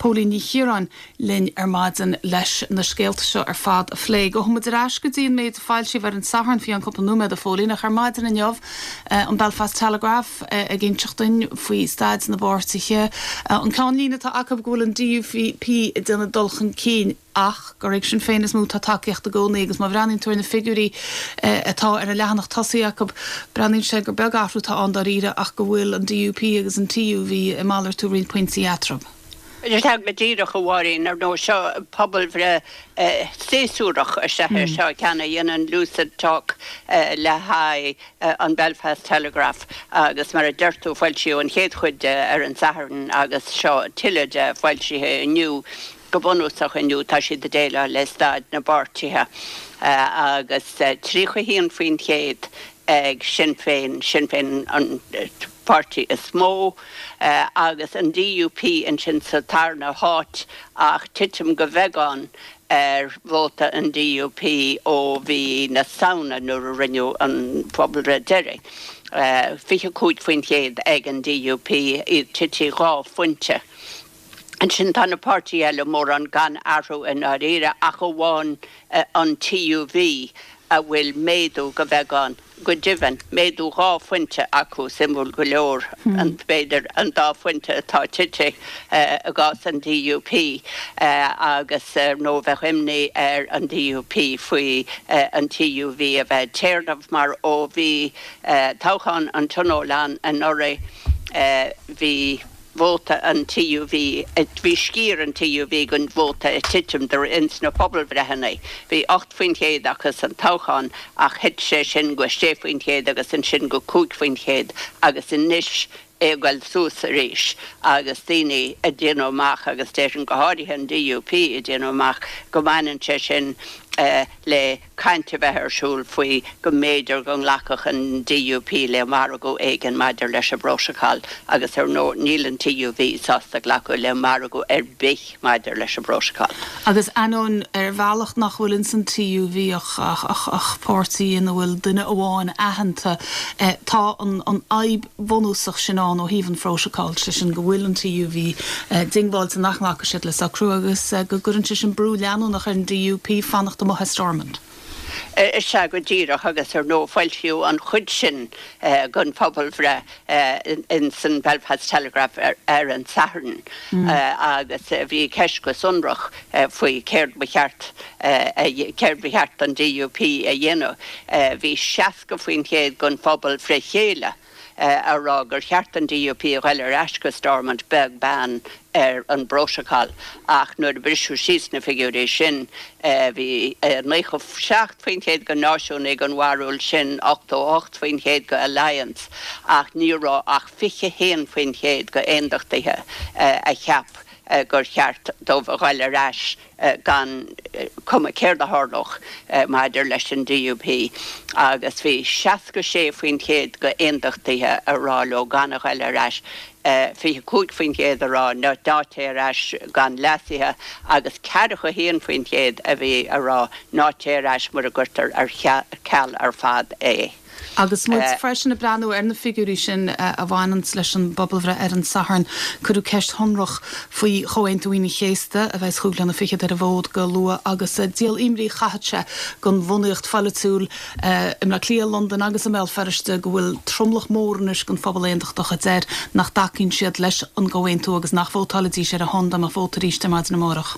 Speaker 1: Póilín Ní Chiaráin, linn ar maidin leis na scéalta seo ar fad a phlé. Gabhfaidh muid ar ais go dtí an méid a foilsíodh ar an Satharn faoi cheann cúpla nóiméad, a Phóilín, ach ar maidin inniu, an Belfast Telegraph ag inseacht dúinn faoi staid na bpáirtithe. An ceannlíne atá acu go bhfuil an DUP ag déanamh dul chun cinn ach gur ag Sinn Féin is mó atá tacaíocht i gcónaí agus má bhreathnaíonn tú ar na figiúirí atá ar an leathanach tosaigh acu, breathnaíonn sé gur beag athrú atá ann dáiríre ach go bhfuil an DUP agus an TUV ag malartú roinnt pointí eatarthu.
Speaker 8: Sea, go díreach, a Mháirín, ar ndóigh, seo pobalbhreith séasúrach is ea é seo, ceann a dhéanann Lucid Talk le haghaidh an Belfast Telegraph agus mar a deir tú, foilsíodh an chéad chuid de ar an Satharn agus seo tuilleadh de foilsithe inniu. Go bunúsach inniu tá siad ag déileáil le staid na bpáirtithe agus tríocha a haon faoin chéad ag Sinn Féin, Sinn Féin an páirtí is mó, agus an DUP ansin sa tarna háit ach titim go bheagán ar vóta an DUP ó mhí na Samhna nuair a rinneadh an phobalbhreith deiridh. fiche cúig faoin chéad ag an DUP, iad tite dhá phointe. Ansin tá na páirtithe eile mórán gan athrú i ndáiríre ach amháin an TUV a bhfuil méadú go bheagán, go deimhin, méadú dhá phointe acu, suimiúil go leor, b'fhéidir, an dá phointe atá tite i gcás an DUP agus ar ndóigh bheadh imní ar an DUP faoi an TUV a bheith ag téarnamh mar ó bhí toghchán an Tionóil ann anuraidh bhí vóta an TUV, bhí sciar an TUV den vóta ag titim de ins na pobalbhreitheanna. Bhí ocht faoin chéad acu san toghchán ach thit sé sin go sé faoin chéad agus ansin go cúig faoin chéad agus anois é ag goil suas arís agus daoine ag déanamh amach agus déarfainn go háirithe an DUP ag déanamh amach go mbaineann sé sin le caint a bheith ar siúl faoi go mb'fhéidir go nglacfadh an DUP le margadh éigin maidir leis an bPrótacal agus ar ndóigh níl an TUV sásta glacadh le margadh ar bith maidir leis an bPrótacal.
Speaker 1: Agus ainneoin ar bhealach nach bhfuil ins an TUV ach páirtí ina bhfuil duine amháin aitheanta, tá an fhadhb bhunúsach sin ann ó thaobh an Phrótacail, sé sin go bhfuil an TUV diongbháilte nach nglacfaidh siad le socrú agus go gcuireann sé sin brú leanúnach ar an DUP fanacht amuigh as Stormont.
Speaker 8: Is ea go díreach, agus ar ndóigh foilsíodh an chuid sin den phobalbhreith ins an Belfast Telegraph ar an Satharn agus bhí ceist go sonrach faoi céard ba cheart céard ba cheart don DUP a dhéanamh. Bhí seasca faoin chéad den phobal fré chéile a rá gur cheart don DUP a ghoil ar ais go Stormont beag beann ar an bprótacal ach nuair a briseadh síos na figiúirí sin bhí naocha seacht faoin chéad de náisiúnaigh den bharúil sin, ochtó ocht faoin chéad de Alliance ach ní raibh ach fiche haon faoin chéad de aondachtaithe a cheap gur cheart dóibh a ghoil ar ais gan cuma céard a tharlódh maidir leis an DUP agus bhí seasca sé faoin chéad de aondachtaithe a rá leo gan a ghoil ar ais, fiche cúig faoin chéad a rá ná téigh ar ais gan leasuithe agus ceathracha a haon faoin chéad a bhí a rá ná téigh ar ais mura gcuirtear ar ceal ar fad é.
Speaker 1: Agus muid freisin ag breathnú ar na figiúirí sin a bhaineanns leis an bpobalbhreith ar an Satharn, cuireadh ceist shonrach faoi Chomhaontú Aoine an Chéasta, a bheas chúig bliana fichead ar an bhfód go luath, agus díol imní chaithfeadh sé don bhunaíocht pholaitiúil i mBleá Cliath, Londain agus i mBéal Feirste go bhfuil tromlach mór anois den phobal aontachtach a deir nach dtacaíonn siad leis an gcomhaontú agus nach vótálfaidís ar a shon dá mbeadh vóta arís ar maidin amárach.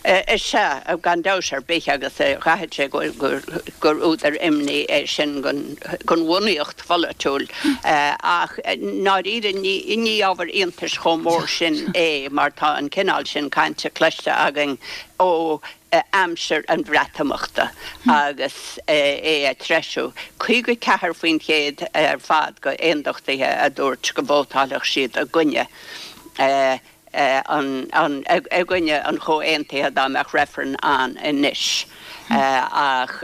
Speaker 8: Is ea, gan dabht ar bith, agus chaithfeadh sé gur údar imní é sin don bhunaíocht pholaitiúil. Ach i ndáiríre ní ábhar iontais chomh mór sin é mar tá an cineál sin cainte cloiste againn ó aimsir an Bhreatimeachta agus é ag treisiú. Caoga ceathair faoin chéad ar fad de aondachtaithe a dúirt go vótálfadh siad i gcoinne. i gcoinne an chomhaontaithe dá mbeadh reifreann ann anois. Ach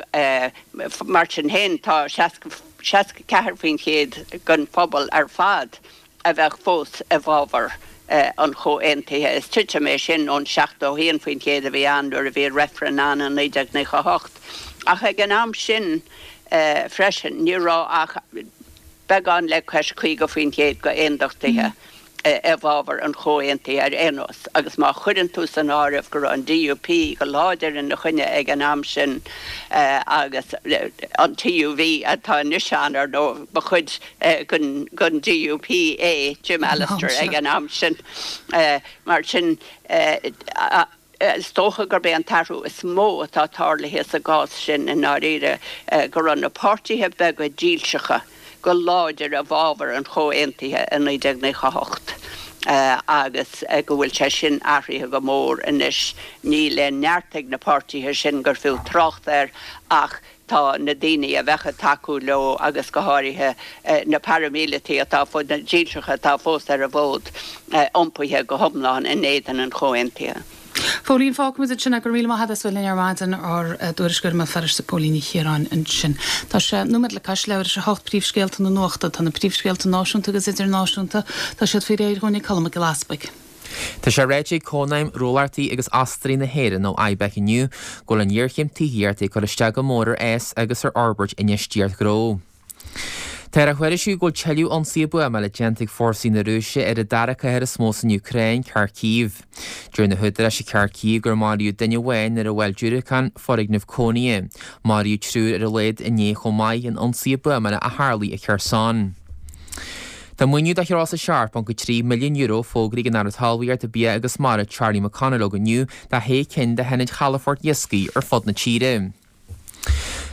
Speaker 8: mar sin féin, tá seasca ceathair faoin chéad den phobal ar fad a bheadh fós i bhfabhar an chomhaontaithe. Is titim é sin ón seachtó a haon faoin chéad a bhí ann nuair a bhí reifreann ann i naoi déag naocha a hocht. Ach ag an am sin freisin, ní raibh ach beagán le cois caoga faoin chéad d'aondachtaithe i bhfabhar an chomhaontaithe ar aon nós, agus má chuireann tú san áireamh go raibh an DUP go láidir ina choinne ag an am sin agus an TUV atá anois ann, ar ndóigh, ba chuid den DUP é Jim Allister ag an am sin. Mar sin, Is dócha gurb é an t-athrú is mó atá tarlaithe sa gcás sin i ndáiríre go raibh na páirtithe beaga dílseacha go láidir i bhfabhar an chomhaontaithe i naoi déag naocha a hocht agus go bhfuil sé sin athraithe go mór anois. Níl aon neart ag na páirtithe sin gur fiú trácht air ach tá na daoine a bheadh ag tacú leo agus go háirithe na paraimíleataigh atá, na dílseacha atá fós ar an bhfód, iompaithe go hiomlán in éadan an chomhaontaithe.
Speaker 1: Póilín, Fágfaimid ansin é. Go raibh míle maith agat as bheith linn ar maidin, ár dtuairisceoir i mBéal Feirste, Póilín Ní Chiaráin ansin. Tá sé nóiméad le cois leathuair tar éis a hocht, príomhscéalta na nuachta. Tá na príomhscéalta náisiúnta agus idirnáisiúnta, tá siad faoi réir dhúinn ag Colm Mac Giolla Easpaig.
Speaker 2: Tá sé ráite ag Cónaidhm Ghnólachtaí agus Ostaí na hÉireann, nó IBEC inniu, go bhfuil an ghéarchéim tithíochta ag cur isteach go mór ar fhás agus ar fhorbairt infheistíocht ghnó. Táthar á thuairisciú go bhfuil tuilleadh ionsaithe buamála déanta ag fórsaí na Rúise ar an dara cathair is mó san Úcráin, Kharkiv. Deir na húdaráis i Kharkiv gur maraíodh duine amháin nuair a bhuail diúracán foirgneamh cónaithe. Maraíodh triúr ar a laghad inné chomh maith in ionsaithe buamála a tharlaigh i Kherson. Tá maoiniú de thriocadh a seacht ponc a trí milliún euro fógraithe ag an Aire Talmhaíochta, Bia agus Mara Charlie McConalogue inniu do shé cinn de hionaid chalafoirt iascaigh ar fud na tíre.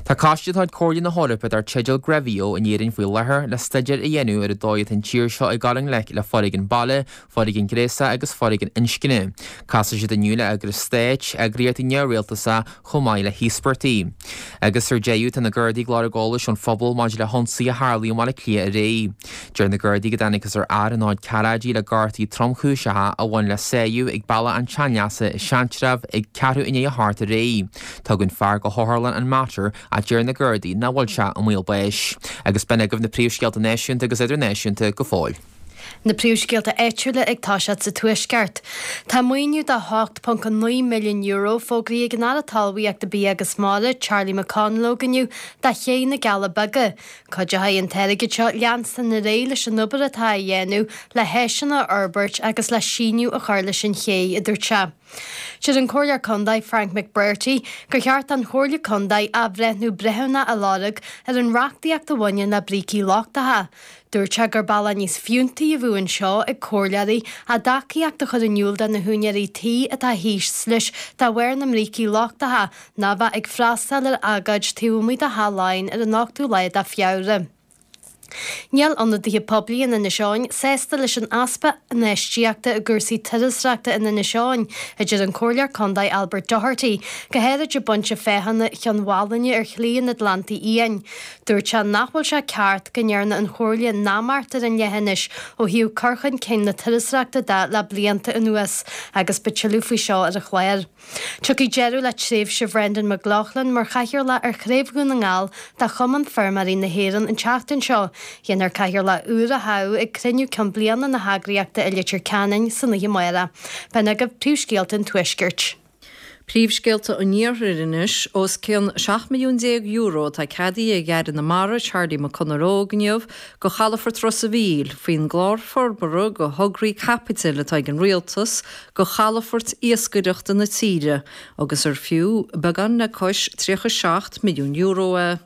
Speaker 2: Tá coiste de chuid Chomhairle na hEorpa dar teideal GREVIO in Éirinn faoi láthair le staidéar a dhéanamh ar an dóigh atá an tír seo ag dul i ngleic le foréigean baile, foréigean gnéasach agus foréigean inscne. Casfaidh siad inniu le eagrais stáit, eagraíochtaí neamhrialtasacha chomh maith le híospartaigh. Agus ar deireadh, tá na Gardaí ag lorg eolais ón phobal maidir le hionsaí a tharlaigh i mBaile Átha Cliath aréir. Deir na Gardaí go dtángthas ar fhear ina chuid cearráidí le gortuithe tromchúiseacha a bhain le sáigh ag Bealach an tSeanleasa i Seantrabh ag ceathrú i ndiaidh a hocht aréir. Tugadh an fear go hotharlann an Mater ach deir na Gardaí nach bhfuil sé i mbaol báis. Agus b'in agaibh na príomhscéalta náisiúnta agus idirnáisiúnta go fóill.
Speaker 3: Na príomhscéalta áitiúla ag toiseacht sa Tuaisceart. Tá maoiniú de hocht ponc naoi milliún euro fógraithe ag an Aire Talmhaíochta Bia agus Mara, Charlie McConalogue inniu do Ché na gCealla Beaga. Cuideoidh an t-airgead seo leanstan ar aghaidh leis an obair atá á dhéanamh le háiseanna a fhorbairt agus le síneadh a chur leis an ché, a dúirt sé. Deir an Comhairleoir Contae Frank McBrearty gur cheart don Chomhairle Contae athbhreithniú breithiúnach a lorg ar an reachtaíocht a bhaineann le brící lochtacha. Dúirt sé gur bealach níos fiúntaí a bheadh anseo ag comhairleoirí a dtacaíocht a chur in iúl do na húinéirí tí atá thíos leis de bharr na mbrící lochtacha ná bheith ag freastal ar agóid taobh amuigh de Theach Laighean ar an ochtú lá de Feabhra. Níl ionadaithe poiblí in Inis Eoghain sásta leis an easpa infheistíochta i gcúrsaí turasóireachta in Inis Eoghain, a deir an Comhairleoir Contae Albert Doherty, go háirid i bPointe Féachana Chionn Mhálanna ar Shlí an Atlantaigh Fhiáin. Dúirt sé nach bhfuil sé ceart go ndearna an Chomhairle neamart ar an leithinis ó thaobh cur chun cinn na turasóireachta de le blianta anuas agus beidh tuilleadh faoi seo ar an chlár. Tiocfaidh deireadh le tréimhse Bhrendan McLoughlin mar chathaoirleach ar Chraobh Dhún na nGall de Chumann Feirmeoirí na hÉireann an tseachtain seo. Déanfar cathaoirleach úr a thoghadh ag cruinniú ceann bliana na heagraíochta i Leitir Ceanainn san oíche amárach. B'in agaibh príomhscéalta an Tuaiscirt.
Speaker 4: Príomhscéalta an Iarthair anois, os cionn seacht milliún déag euro atá ceadaithe ag Aire na Mara, Charlie McConalogue inniu do chalafort Ros a' Mhíl faoin gclár forbartha do thograí caipitil atá ag an Rialtas do chalafoirt iascaireachta na tíre agus ar fiú beagán le cois tríocha seacht milliún euro é.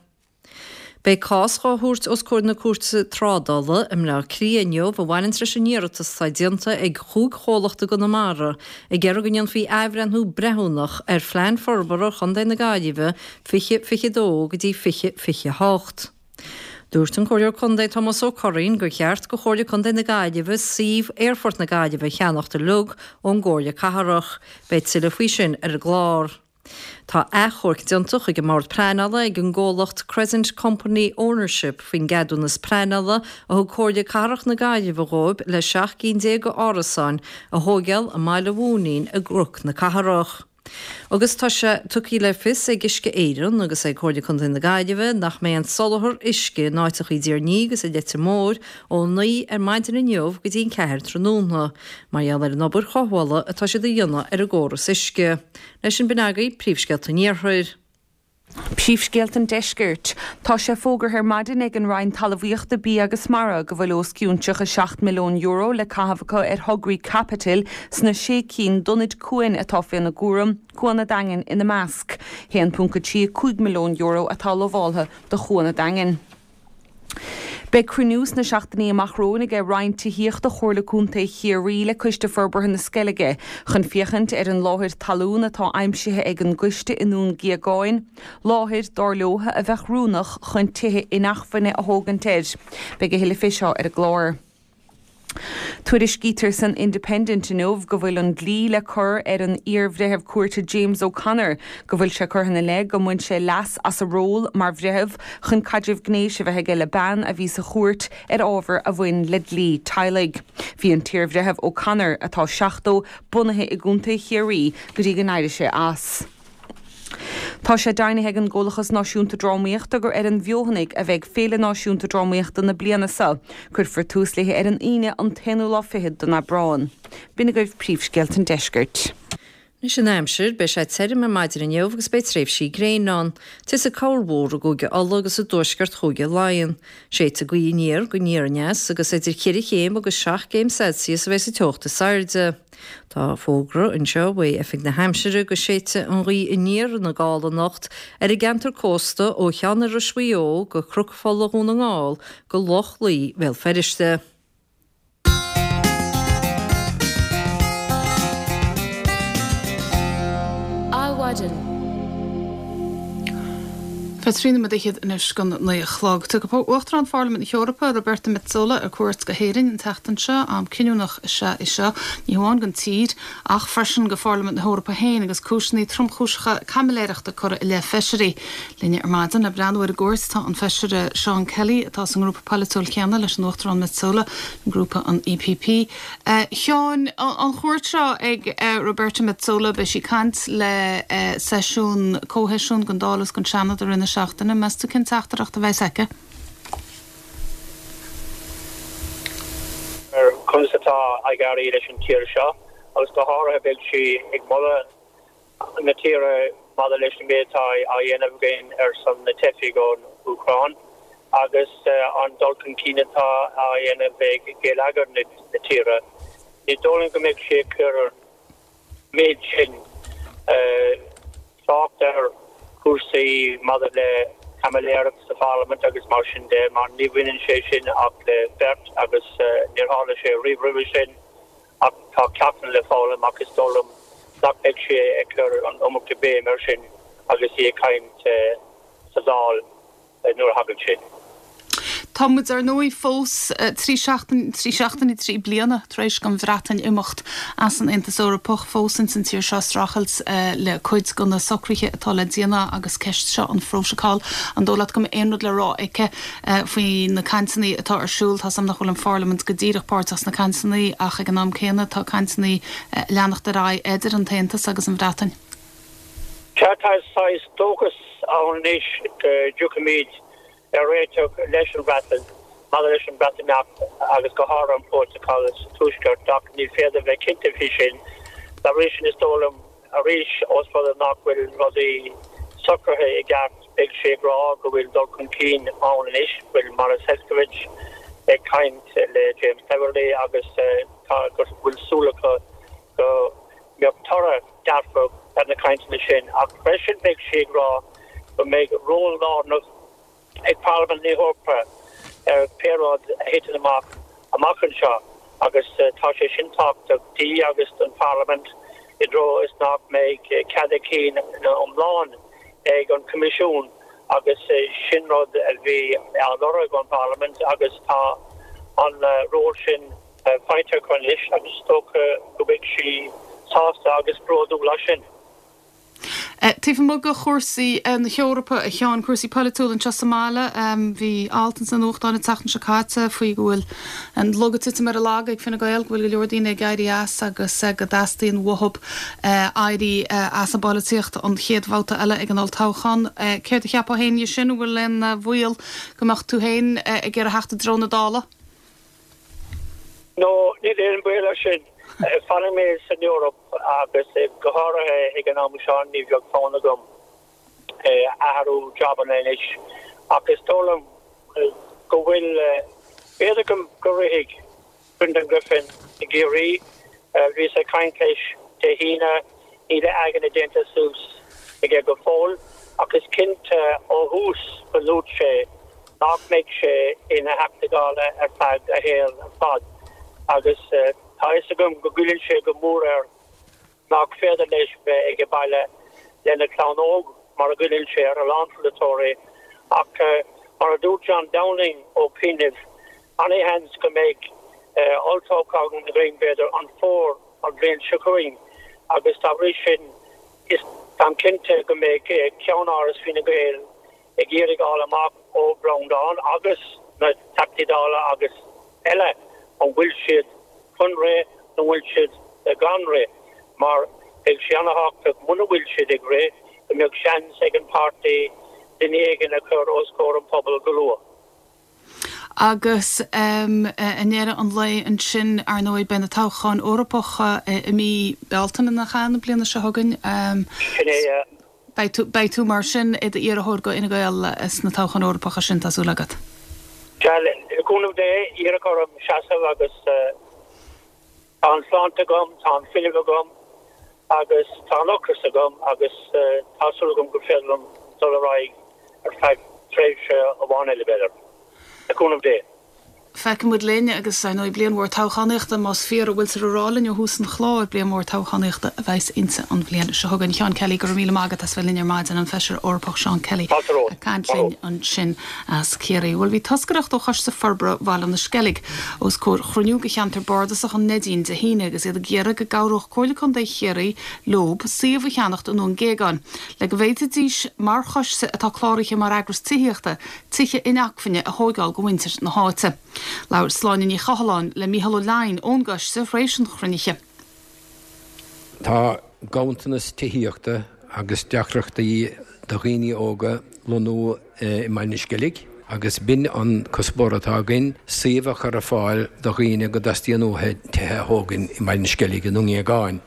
Speaker 4: Beidh cás dhá thabhairt os comhair na Cúirte Trádála i mBleá Cliath inniu a bhaineanns leis an iarratas atá déanta ag chúig chomhlacht i gConamara ag iarraidh go ndéanfaí athbhreithniú breithiúnach ar Phlean Forbartha Chontae na Gaillimhe fiche fiche dó go dtí fiche fiche hocht. Dúirt an Comhairleoir Contae Tomás Ó Curraoin gur cheart go Chomhairle Contae na Gaillimhe suíomh Aerfort na Gaillimhe a cheannacht uilig ón gComhairle Cathrach. Beidh tuilleadh faoi sin ar an gclár. Tá achomharc déanta chuig an mBord Pleanála ag an gcomhlacht Crescent Company Ownership faoin gceadúnas pleanála a thug Comhairle Cathrach na Gaillimhe dhóibh le seacht gcinn déag d'árasáin a thóigeáil i mBaile Mhúinín i gCnoc na Cathrach. Agus tá sé tugtha le fios ag Uisce Éireann agus ag Comhairle Contae na Gaillimhe nach mbeidh an soláthar uisce in áiteacha i dTír an Fhia agus i Leitir Móir ó naoi ar maidin inniu go dtí an ceathair tráthnóna mar gheall ar an obair chothabhála atá siad a dhéanamh ar an gcóras uisce. Leis sin b'in agaibh príomhscéalta an Iarthair.
Speaker 5: Príomhscéalta an Deiscirt. Tá sé fógartha ar maidin ag an Roinn Talmhaíochta, Bia agus Mara go bhfuil os cionn tríocha seacht milliún euro le caitheamh acu ar thograí caipitil sna sé cinn d'ionaid cuain atá faoina gcúram, Cuan an Daingin ina measc. haon ponc a trí cúig milliún euro atá lamháltha do Chuan an Daingin. Beidh cruinniú sna seachtainí amach romhainn ag Roinn Tithíochta Chomhairle Contae Chiarraí le Coiste Forbartha na Sceilge chun féachaint ar an láthair talún atá aimsithe ag an gcoiste i nDún Gíogáin, láthair, dar leo, a bheadh oiriúnach chun tithe inacmhainne a thógaint air. Beidh a thuilleadh fé seo ar an gclár. Tuairiscítear san Independent inniu go bhfuil an dlí le cur ar an iar-bhreitheamh cúirte James O'Connor go bhfuil sé curtha ina leith go mbain sé leas as a ról mar bhreitheamh chun caidreamh gnéis a bheith aige le bean a bhí sa chúirt ar ábhar a bhain le dlí teaghlaigh. Bhí an t-iar-bhreitheamh O'Connor, atá seachtó, bunaithe i gContae Chiarraí go dtí go n-éirigh sé as. Tá sé deimhnithe ag an gComhlachas Náisiúnta Drámaíochta gur ar an bhFeothanaigh a bheidh Féile Náisiúnta Drámaíochta na bliana seo. Cuirfear tús léi ar an Aoine an t-aonú lá fichead den Aibreán. B'in agaibh príomhscéalta an deiscirt.
Speaker 4: Anois an aimsir, beidh sé tirim ar maidin inniu agus beidh tréimhsí gréine ann. Titfidh corrmhúr i gCúige Uladh agus i dtuaisceart Chúige Laighean. Séidfidh gaoth aniar go aniar aneas agus idir cheithre chéim agus seacht gcéim Celsius a bheidh sa teocht is airde. Tá fógra anseo uaidh Oifig na hAimsire go séidfidh an ghaoth aniar ina gála anocht ar an gceantar cósta ó Cheann Iorrais Mhaigh Eo go Cnoc Fola Dhún na nGall go Loch Lao Bhéal Feirste.
Speaker 1: Adhmhaidin. Tá trí nóiméad fhichead anois don naoi a chlog. Tiocfaidh Uachtarán Pharlaimint na hEorpa, Roberta Metsola, ar cuairt go hÉirinn an tseachtain seo. Am cinniúnach is ea é seo, ní hamháin don tír, ach freisin do Pharlaimint na hEorpa féin agus cúiseanna tromchúiseacha caimiléireachta curtha i leith feisirí. Linne ar maidin le breathnú ar an gcuairt tá an Feisire Seán Kelly, atá sa ngrúpa polaitiúil céanna leis an Uachtarán Metsola, grúpa an EPP. A Sheáin, an chuairt seo ag Roberta Metsola, beidh sí ag caint le seisiún, comhsheisiún den Dáil agus den Seanad i rith na seachtaine. Meas tú cén teachtaireacht a bheas aici?
Speaker 9: Ar conas atá ag éirí leis an tír seo agus go háirithe beidh sí ag moladh na tíre maidir leis an méid atá á dhéanamh againn ar son na teifigh ón Úcráin agus an dul chun cinn atá á dhéanamh ag geilleagar na tíre. Ní dóigh liom go mbeidh sí ag cur an méid sin trácht ar chúrsaí maidir le caimiléireacht sa pharlaimint agus mar sin de, mar ní bhaineann sé sin ach le beirt agus níor tharla sé riamh roimhe sin ach tá ceachtanna le foghlaim ach is dóigh liom nach mbeidh sí ag cur an iomarca béim air sin agus í ag caint sa Dáil nuair a thagann sin.
Speaker 1: Tá muid ar ndóigh fós trí seachtain, trí seachtaine, trí bliana tar éis don Bhreatain imeacht as an Aontas Eorpach, fós ins an tír seo ag streachailt le cuid de na socruithe atá le déanamh agus ceist seo an phrótacail. An dóigh leat go mbeidh aon rud le rá aici faoi na cainteanna atá ar siúl? Tá 's agam nach bhfuil an Pharlaimint go díreach páirteach sna cainteanna ach ag an am céanna tá cainteanna ag leanacht ar aghaidh idir an tAontas agus an Bhreatain.
Speaker 9: Sea, tá saghas dóchas ann anois go dtiocfaimid ar réiteach leis an Bhreatain maidir leis an Bhreatimeacht agus go háirithe an prótacal sa Tuaisceart ach ní féidir bheith cinnte faoi sin. Dá bhrí sin is dóigh liom arís ós rud é nach bhfuil rudaí socraithe i gceart beidh sé ag rá go bhfuil dul chun cinn ann anois, bhfuil Maros Sefcovic ag caint le James Cleverly agus tá go bhfuil súil acu go mbeadh toradh dearfach ar na cainteanna sin ach freisin beidh sí ag rá go mbeidh ról lárnach ag Parlaimint na hEorpa ar pé rud a thiteann amach amach anseo agus tá sé sin tábhachtach di agus don Pharlaimint i dtreo is nach mbeidh cead a cinn iomlán ag an Coimisiún agus sin rud a bhí á lorg ón bParlaimint agus tá an ról sin faighte acu anois agus is dócha go mbeidh sí sásta agus bródúil as sin.
Speaker 1: Taobh amuigh de chúrsaí na hEorpa, a Sheáin, cúrsaí polaitiúla anseo sa mbaile, bhí alt ins na nuachtáin an tseachtain seo caite faoi go bhfuil an lug ag titim ar a lag ag Fine Gael, go bhfuil go leor daoine ag éirí as agus go dteastaíonn uathu éirí as an bpolaitíocht an chéad bhabhta eile ag an olltoghchán. Céard a cheapfá féin dhe sin? An bhfuil aon bhaol go mbeadh tú féin ag iarraidh theacht i dtreo na Dála?
Speaker 9: No, níl aon baol air sin. Fanfaidh mé san Eoraip agus go háirithe ag an am seo ní bheadh fonn agam athrú jabanna anois ach is dóigh liom go bhfuil, b'fhéidir go rithfidh Brendan Griffin i gCiarraí. Bhíos ag caint leis Dé hAoine, níl a aigne déanta suas aige go fóill ach is cinnte ó thús go ndúirt sé nach mbeidh sé ina Theachta Dála ar feadh a shaoil ar fad agus tá a fhios agam go gcoilleann sé go mór air nach féidir leis bheith ag baile lena chlann óg mar a ghoilleann sé ar a lán polaiteoirí ach mar a dúirt John Downing ó chianaibh, ana-sheans go mbeidh olltoghchán againn b'fhéidir an fómhar an bhliain seo chugainn agus dá bhrí sin is táim cinnte go mbeidh ceannáras Fine Gael ag iarraidh fháil amach ó Breandán agus na Teachtaí Dála agus eile an bhfuil siad chun rith nó an bhfuil siad gan rith mar beidh sé ana-thábhachtach muna bhfuil siad ag rith go mbeadh seans ag an páirtí duine éigin a chur os comhair an phobail go luath.
Speaker 1: Agus i ndeireadh an lae ansin, ar ndóigh, beidh na toghcháin Eorpacha i mí Bealtaine, nach ea, na bliana seo chugainn.
Speaker 9: Sin é, yeah.
Speaker 1: Beidh tú, beidh tú mar sin i d'iarrthóir go Fhine Gael sna toghcháin Eorpacha sin, tá súil agat?
Speaker 9: Sea, le cúnamh Dé, iarradh orm seasamh agus tá an tsláinte agam, tá an fuinneamh agam agus tá an ocras agam agus tá súil agam gur féidir liom dul ar aghaidh ar feadh tréimhse amháin eile, b'fhéidir. Le cúnamh Dé.
Speaker 1: Feicfidh muid linn agus, ar ndóigh, bliain mhór toghchánaíochta, más fíor a bhfuiltear a rá linn ó thús an chláir, bliain mhór toghchánaíochta a bheas inti an bhliain seo chugainn. Seán Kelly, go raibh míle maith agat as bheith linn ar maidin, an Feisire Eorpach Seán Kelly ag caint linn ansin as Ciarraí. Bhuel, bhí toscaireacht ó Choiste Forbartha Bhaile na Sceilge os comhair chruinniú de Cheantar Bardasach an Neidín Dé hAoine agus iad ag iarraidh go gcabhródh Comhairle Contae Chiarraí leob suíomh a cheannacht i nDún Géagáin le go bhféadfaidís, mar choiste atá cláraithe mar eagras tithíochta, tithe inacmhainne a thóigeáil go mhuintir na háite. Labhair Sláine Ní Chathalláin le Mícheál Ó Leidhin ón gcoiste tar éis an chruinnithe.
Speaker 10: Tá ganntanas tithíochta agus deacrachtaí do dhaoine óga lonnú i mBaile na Sceilge Agus b'in an cuspóir atá againn, suíomh a chur ar fáil do dhaoine go dteastaíonn uathu tithe a thógaint i mBaile an Sceilg i nDún Géagáin.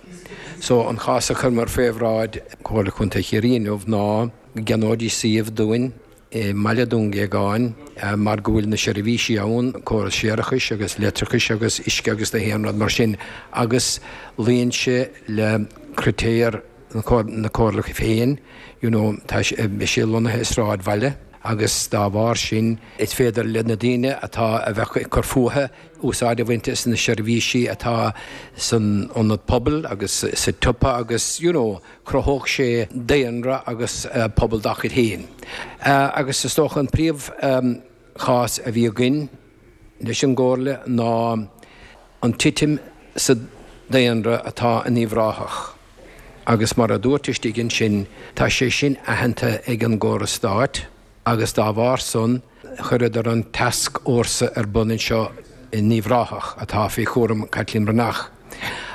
Speaker 10: So an chás a chuireamar fé bhráid Comhairle Contae Chiarraí inniu ná go gceannóidís suíomh dúinn i mbaile Dún Géagáin mar go bhfuil na seirbhísí ann, córas séarachais agus leictreachais agus uisce agus na haon rud mar sin agus luíonn sé le critéir na Comhairle féin, you know, tá sé lonnaithe i sráidbhaile agus dá bharr sin is féidir le na daoine atá a bheadh ag cur fúthu úsáid a bhaint as na seirbhísí atá san ionad pobail agus sa tsiopa agus, you know, chruthódh sé daonra agus pobal dá chuid féin. Agus is dócha an príomh chás a bhí againn leis an gComhairle ná an titim sa daonra atá in Uíbh Ráthach. Agus mar a dúirt istigh ansin, tá sé sin aitheanta ag an gcóras stáit agus dá bharr san chuireadar an tascfhórsa ar bun anseo in Uíbh Ráthach atá faoi chúram Caitlín Breathnach.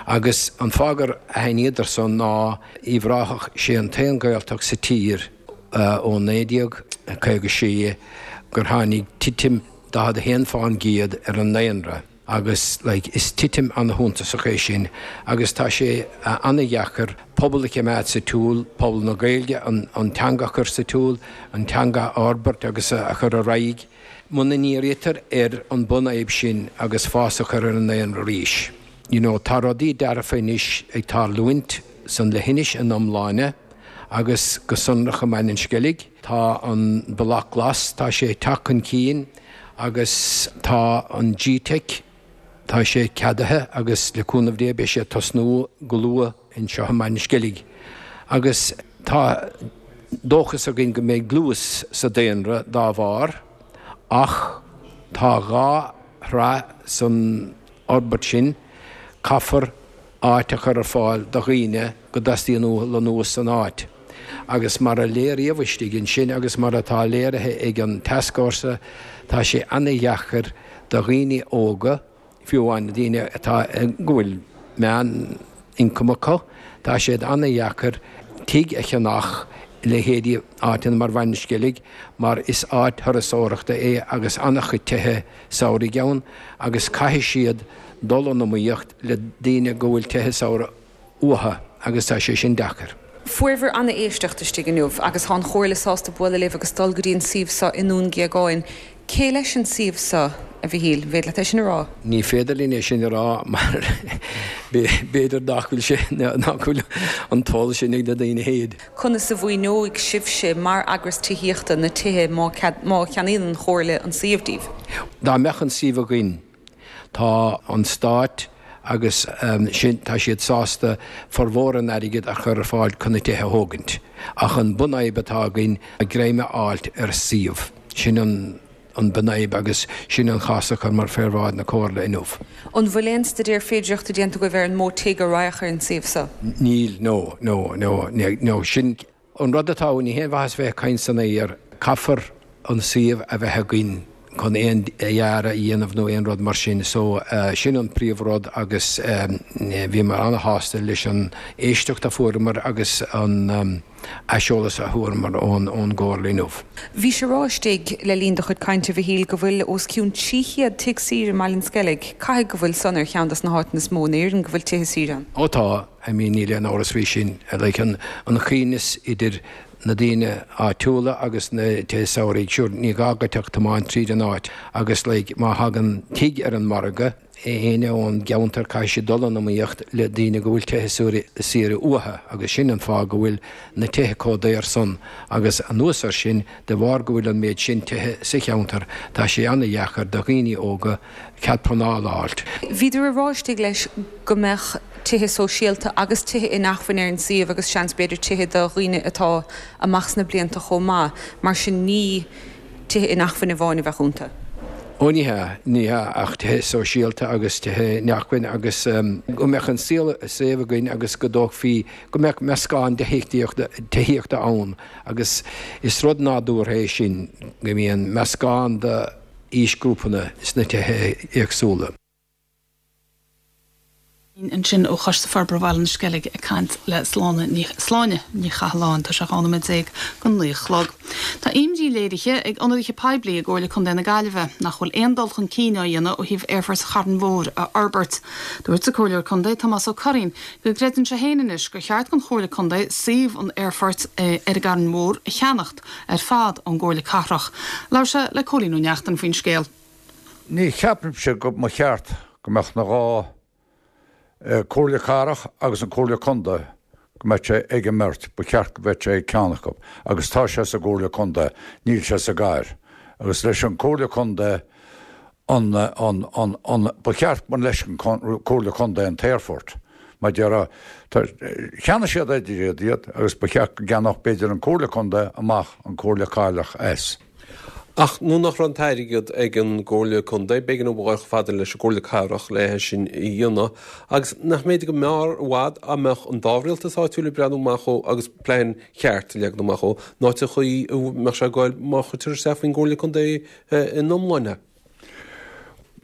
Speaker 10: Agus an fáth gur aithníodar san ná Uíbh Ráthach, sé an t-aon Ghaeltacht sa tír ó naoi déag caoga sé gur tháinig titim daichead a haon fán gcéad ar an ndaonra agus like is titim ana-shuntasach é sin agus tá sé ana-dheacair pobal a choimeád sa tsiúl, pobal na Gaeilge, an an teanga a chur sa tsiúl, an teanga a fhorbairt agus a chur ar aghaidh muna ndírítear ar an bunfhadhb sin agus fás a chur ar an ndaonra arís. You know, tá rudaí dearfa anois ag tarlúint san leithinis ina iomláine agus go sonrach i mBaile an Sceilg. Tá an Bealach Glas, tá sé ag teacht chun cinn agus tá an G-Teic, tá sé ceadaithe agus le cúnamh Dé beidh sé ag tosnú go luath anseo i mBaile an Sceilg. Agus tá dóchas againn go mbeidh dlús sa daonra dá bharr ach tá dhá thráth san fhorbairt sin, caithfear áit a chur ar fáil do dhaoine go dteastaíonn uathu lonnú san áit. Agus mar a léiríodh istigh ansin agus mar atá léirithe ag an tascfhórsa, tá sé ana-dheacair do dhaoine óga, fiú amháin daoine atá, go bhfuil meán-ioncam acu, tá sé ana-dheacair tigh a cheannach i leithéidí áiteanna mar Bhaile an Sceilg mar is áit thurasóireachta é agus ana-chuid tithe samhraidh ann agus caithfidh siad dul in iomaíocht le daoine go bhfuil tithe samhraidh uathu agus tá sé sin deacair.
Speaker 5: Fuaireabhair ana-éisteacht istigh inniu agus tá an Chomhairle sásta bualadh libh agus dul go dtí an suíomh seo i nDún Géagáin. Cé leis an suíomh seo, a Mhichíl? An féidir leat é sin a rá?
Speaker 10: Ní féidir linn é sin a rá mar b'fhéidir nach bhfuil sé, nach bhfuil an toil sin ag na daoine féin.
Speaker 5: Conas a mhaoineoidh sibhse mar eagras tithíochta na tithe má má cheannaíonn an Chomhairle an suíomh díbh?
Speaker 10: Dá mbeadh an suíomh againn, tá an Stát agus sin, tá siad sásta formhór an airgid a chur ar fáil chun na tithe a thógaint. Ach an bunfhadhb atá againn greim a fháilt ar suíomh. Sin an an bunfhadhb agus sin an chás a chuireamar fé bhráid na Comhairle inniu.
Speaker 5: An bhfuil aon staidéar féidireachta déanta agaibh ar an mó tigh a raghadh ar an suíomh seo?
Speaker 10: Níl, no, no, no, no, sin an rud atá ann, ní haon mhaitheas bheith ag caint san aer, caithfear an suíomh a bheith againn chun aon dhearadh a dhéanamh nó aon rud mar sin, so sin an príomh rud agus bhíomar ana-shásta leis an éisteacht a fuaireamar agus an. aiseolas a fuaireamar ón gComhairle inniu.
Speaker 5: Bhís ag rá istigh le linn do chuid cainte, a Mhichíl, go bhfuil os cionn trí chéad tigh saoire i mBaile an Sceilg. Caithfidh go bhfuil san ar cheann des na háiteanna is mó in Éirinn go bhfuil tithe saoire ann?
Speaker 10: Ó tá, I mean níl aon amhras faoi sin. Like an coibhneas idir na daoine áitiúla agus na tithe samhraidh, sure ní gá duit ach tiomáint tríd an áit agus like má thagann tigh ar an margadh, éinne ón gceantar caithfidh siad dul in iomaíocht le daoine go bhfuil tithe saoire uathu agus sin an fáth go bhfuil na tithe chomh daor san agus anuas air sin de bharr go bhfuil an méid sin tithe sa cheantar tá sé ana-dheacair do dhaoine óga cead pleanála a fháilt.
Speaker 5: Bhíodar ag rá istigh leis go mbeadh tithe sóisialta agus tithe inacmhainne ar an suíomh agus seans b'fhéidir tithe do dhaoine atá amach sna blianta chomh maith mar sin ní tithe inacmhainne amháin a bheadh iontu.
Speaker 10: Ó ní hea, ní hea, ach tithe sóisialta agus tithe inacmhainne agus go mbeadh an suíomh againn agus go dtógfaí, go mbeadh meascán de thithíochta ann agus is rud nádúrtha é sin go mbíonn meascán de aoisghrúpanna sna tithe éagsúla.
Speaker 1: Ansin ó Choiste Forbartha Bhaile na Sceilge ag caint le Sláine Ní Sláine Ní Chathalláin tá sé dhá nóiméad déag go naoi a chlog. Tá imní léirithe ag ionadaithe poiblí i gComhairle Contae na Gaillimhe nach bhfuil aon dul chun cinn á dhéanamh ó thaobh Aerfort Charn Mhóir a fhorbairt. Dúirt an Comhairleoir Contae Tomás Ó Curraoin go gcreideann sé féin anois gur cheart don Chomhairle Contae suíomh an aerfoirt ar an gCarn Mhór a cheannacht ar fad ón gComhairle Cathrach. Labhair sé le Cóilín Ó Neachtain faoin scéal.
Speaker 11: Ní cheapaimse go mba cheart go mbeadh na dhá Comhairle Cathrach agus an Comhairle Contae go mbeadh sé ag an mbeirt, ba cheart go mbeadh sé ag ceann acu agus tá sé sa gComhairle Contae, níl sé sa gcathair. Agus leis an Comhairle Contae an, an, an, an, ba cheart go mba leis an Comhairle Contae an t-aerfort. Mar déarfá, tá, cheannaigh siad idir iad iad agus ba cheart go gceannódh b'fhéidir an Comhairle Contae amach an Comhairle Cathrach as.
Speaker 12: Ach nuair nach raibh an t-airgead ag an gComhairle Contae, b'éigean dóibh a ghabháil chomh fada leis an gComhairle Cathrach le é sin a dhéanamh. Agus nach mb'fhéidir go mb'fhearr i bhfad dá mbeadh an dá rialtas áitiúil ag breathnú amach dhó agus plean cheart a leagan amach dhó, ná sa chaoi a mbeadh sé ag goil má chuirtear isteach faoin gComhairle Contae ina iomláine.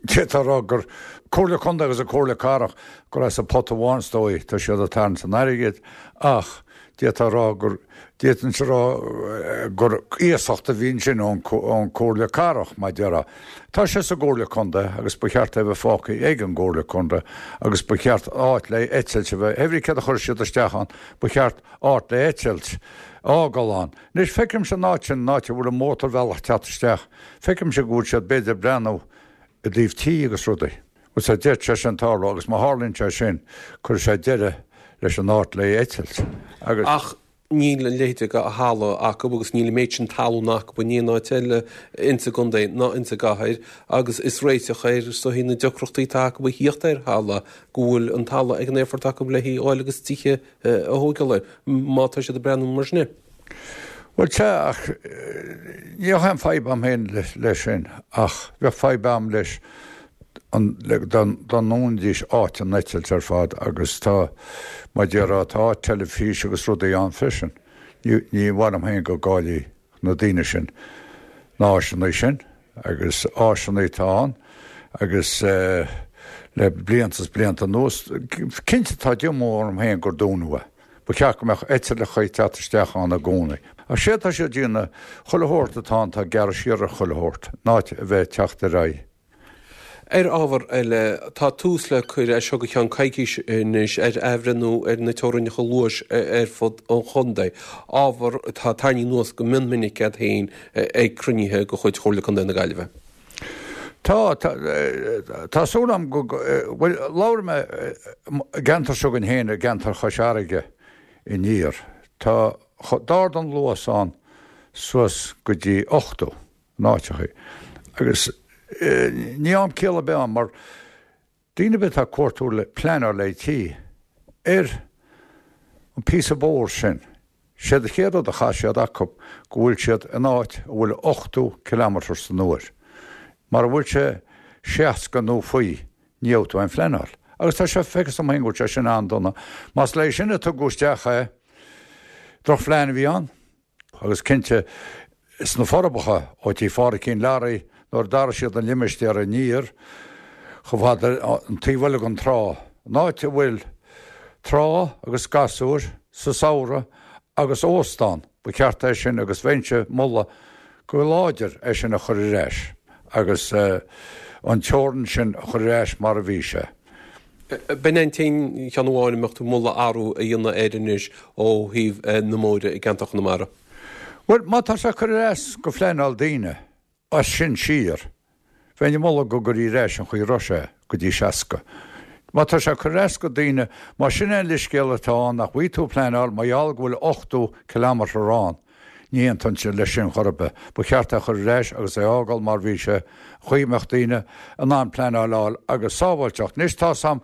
Speaker 11: D'fhéadfá a rá gur Comhairle Contae agus an Comhairle Cathrach gur as an pota amháin is dóigh tá siad ag tarraingt an airgid ach d'fhéadfá a rá gur, d'fhéadfainnse a rá gur iasacht a bhí ansin ón Comhairle Cathrach mar déarfá. Tá sé sa gComhairle Contae agus ba cheart é a bheith fágtha ag an gComhairle Contae agus ba cheart áit le eitilt a bheith, every céard a chuir siad isteach ann, ba cheart áit le eitilt a fhágáil ann. Anois feicimse an áit sin, an áit a bhfuil an mótarbhealach ag teacht isteach, feicimse go bhfuil siad b'fhéidir ag breathnú i dtaobh tí agus rudaí. Bhuel, sea, d'fhéadfadh sé sin tarlú agus má tharlaíonn sé sin, cuirfidh sé deireadh leis an áit le eitilt agus.
Speaker 12: Ach níl a leithéid de thalamh acu agus níl an méid sin talún acu in aon áit eile insa gcontae ná insa gcathair agus is réiteach ar is dóichí na deacrachtaí atá acu a thíocht ar thalamh go bhfuil an talamh ag an aerfort acu le hí a fháil agus tithe a thógáil air má tá siad ag breathnú mar sin air.
Speaker 11: Bhuel, sea, ach ní bheadh aon fadhb a'm féin leis sin, ach bheadh fadhb a'm leis dá ndúnfaidís áit an eitilt ar fad agus tá, mar déarfá, tá áit teilifís agus rudaí ann freisin. Ní ní mhaith liom féin go gcaillfidh na daoine sin na háiseanna sin agus áiseanna atá ann agus le blianta is blianta anuas, cinnte tá díomá orm féin gur dúnadh é. Ba cheart go mbeadh eitleacha ag teacht isteach ann i gcónaí. Ach séard tá siad ag déanamh, chuile shórt atá ann, tá gearradh siar ar chuile shórt, in áit a bheith ag teacht ar aghaidh.
Speaker 12: Ar ábhar eile, tá tús le cur as seo go ceann coicís anois ar athbhreithniú ar na teorainneacha luais ar fud an chontae, ábhar atá tarraingthe anuas go mion minic agat féin ag cruinnithe de chuid Chomhairle Contae na Gaillimhe.
Speaker 11: Tá, tá, tá súil agam go, bhuel, labhair mé i gceantar s'againn féin, i gceantar Chois Fharraige aniar, tá, d'ardaigh an luas ann suas go dtí ochtó in áiteachaí agus ní am ciall ar bith ann mar daoine ar bith atá ag cuartú le pleanáil le tí ar an píosa bóthair sin, Séard an chéad rud a chaith siad acu go bhfuil siad in áit a bhfuil ochtó kilometres san uair. Mara bhfuil sé seasca nó faoi ní gheobhaidh tú aon phleanáil. Agus tá sé feicthe dom féin go bhfuil sé sin an-dona. Más leis sin a tugadh isteach é, drochphlean a bhí ann. Agus cinnte, sna Forbacha, ó tí Phádraicín Learaí, nuair a d'athraigh siad an limistéar aniar, chomh fada an taobh eile den trá, an áit a bhfuil trá agus gasúir sa samhradh agus óstán, ba cheart é sin agus bheinnse ag moladh go láidir é sin a chur ar ais agus an teorainn sin a chur ar ais mar a bhí sé.
Speaker 12: B'in é an t-aon cheann amháin a mbeadh tú ag moladh athrú a dhéanamh air anois ó thaobh na mbóithre i gceantar Chonamara.
Speaker 11: Bhuel, má tá sé curtha ar ais go phleanáil daoine as sin siar, bheinn ag moladh go gcuirí ar ais an chaoi a raibh sé, go dtí seasca. Má tá sé curtha ar ais go daoine, más sin é an leithscéal atá ann nach bhfaighidh tú pleanáil mar gheall go bhfuil ochtó kilometre ann, ní aontóinnse leis sin chor ar bith. Ba cheart é a chur ar ais agus é a fhágáil mar bhí sé, an chaoi a mbeadh daoine in ann pleanáil a fháil agus sábháilteacht. Anois tá's a'm,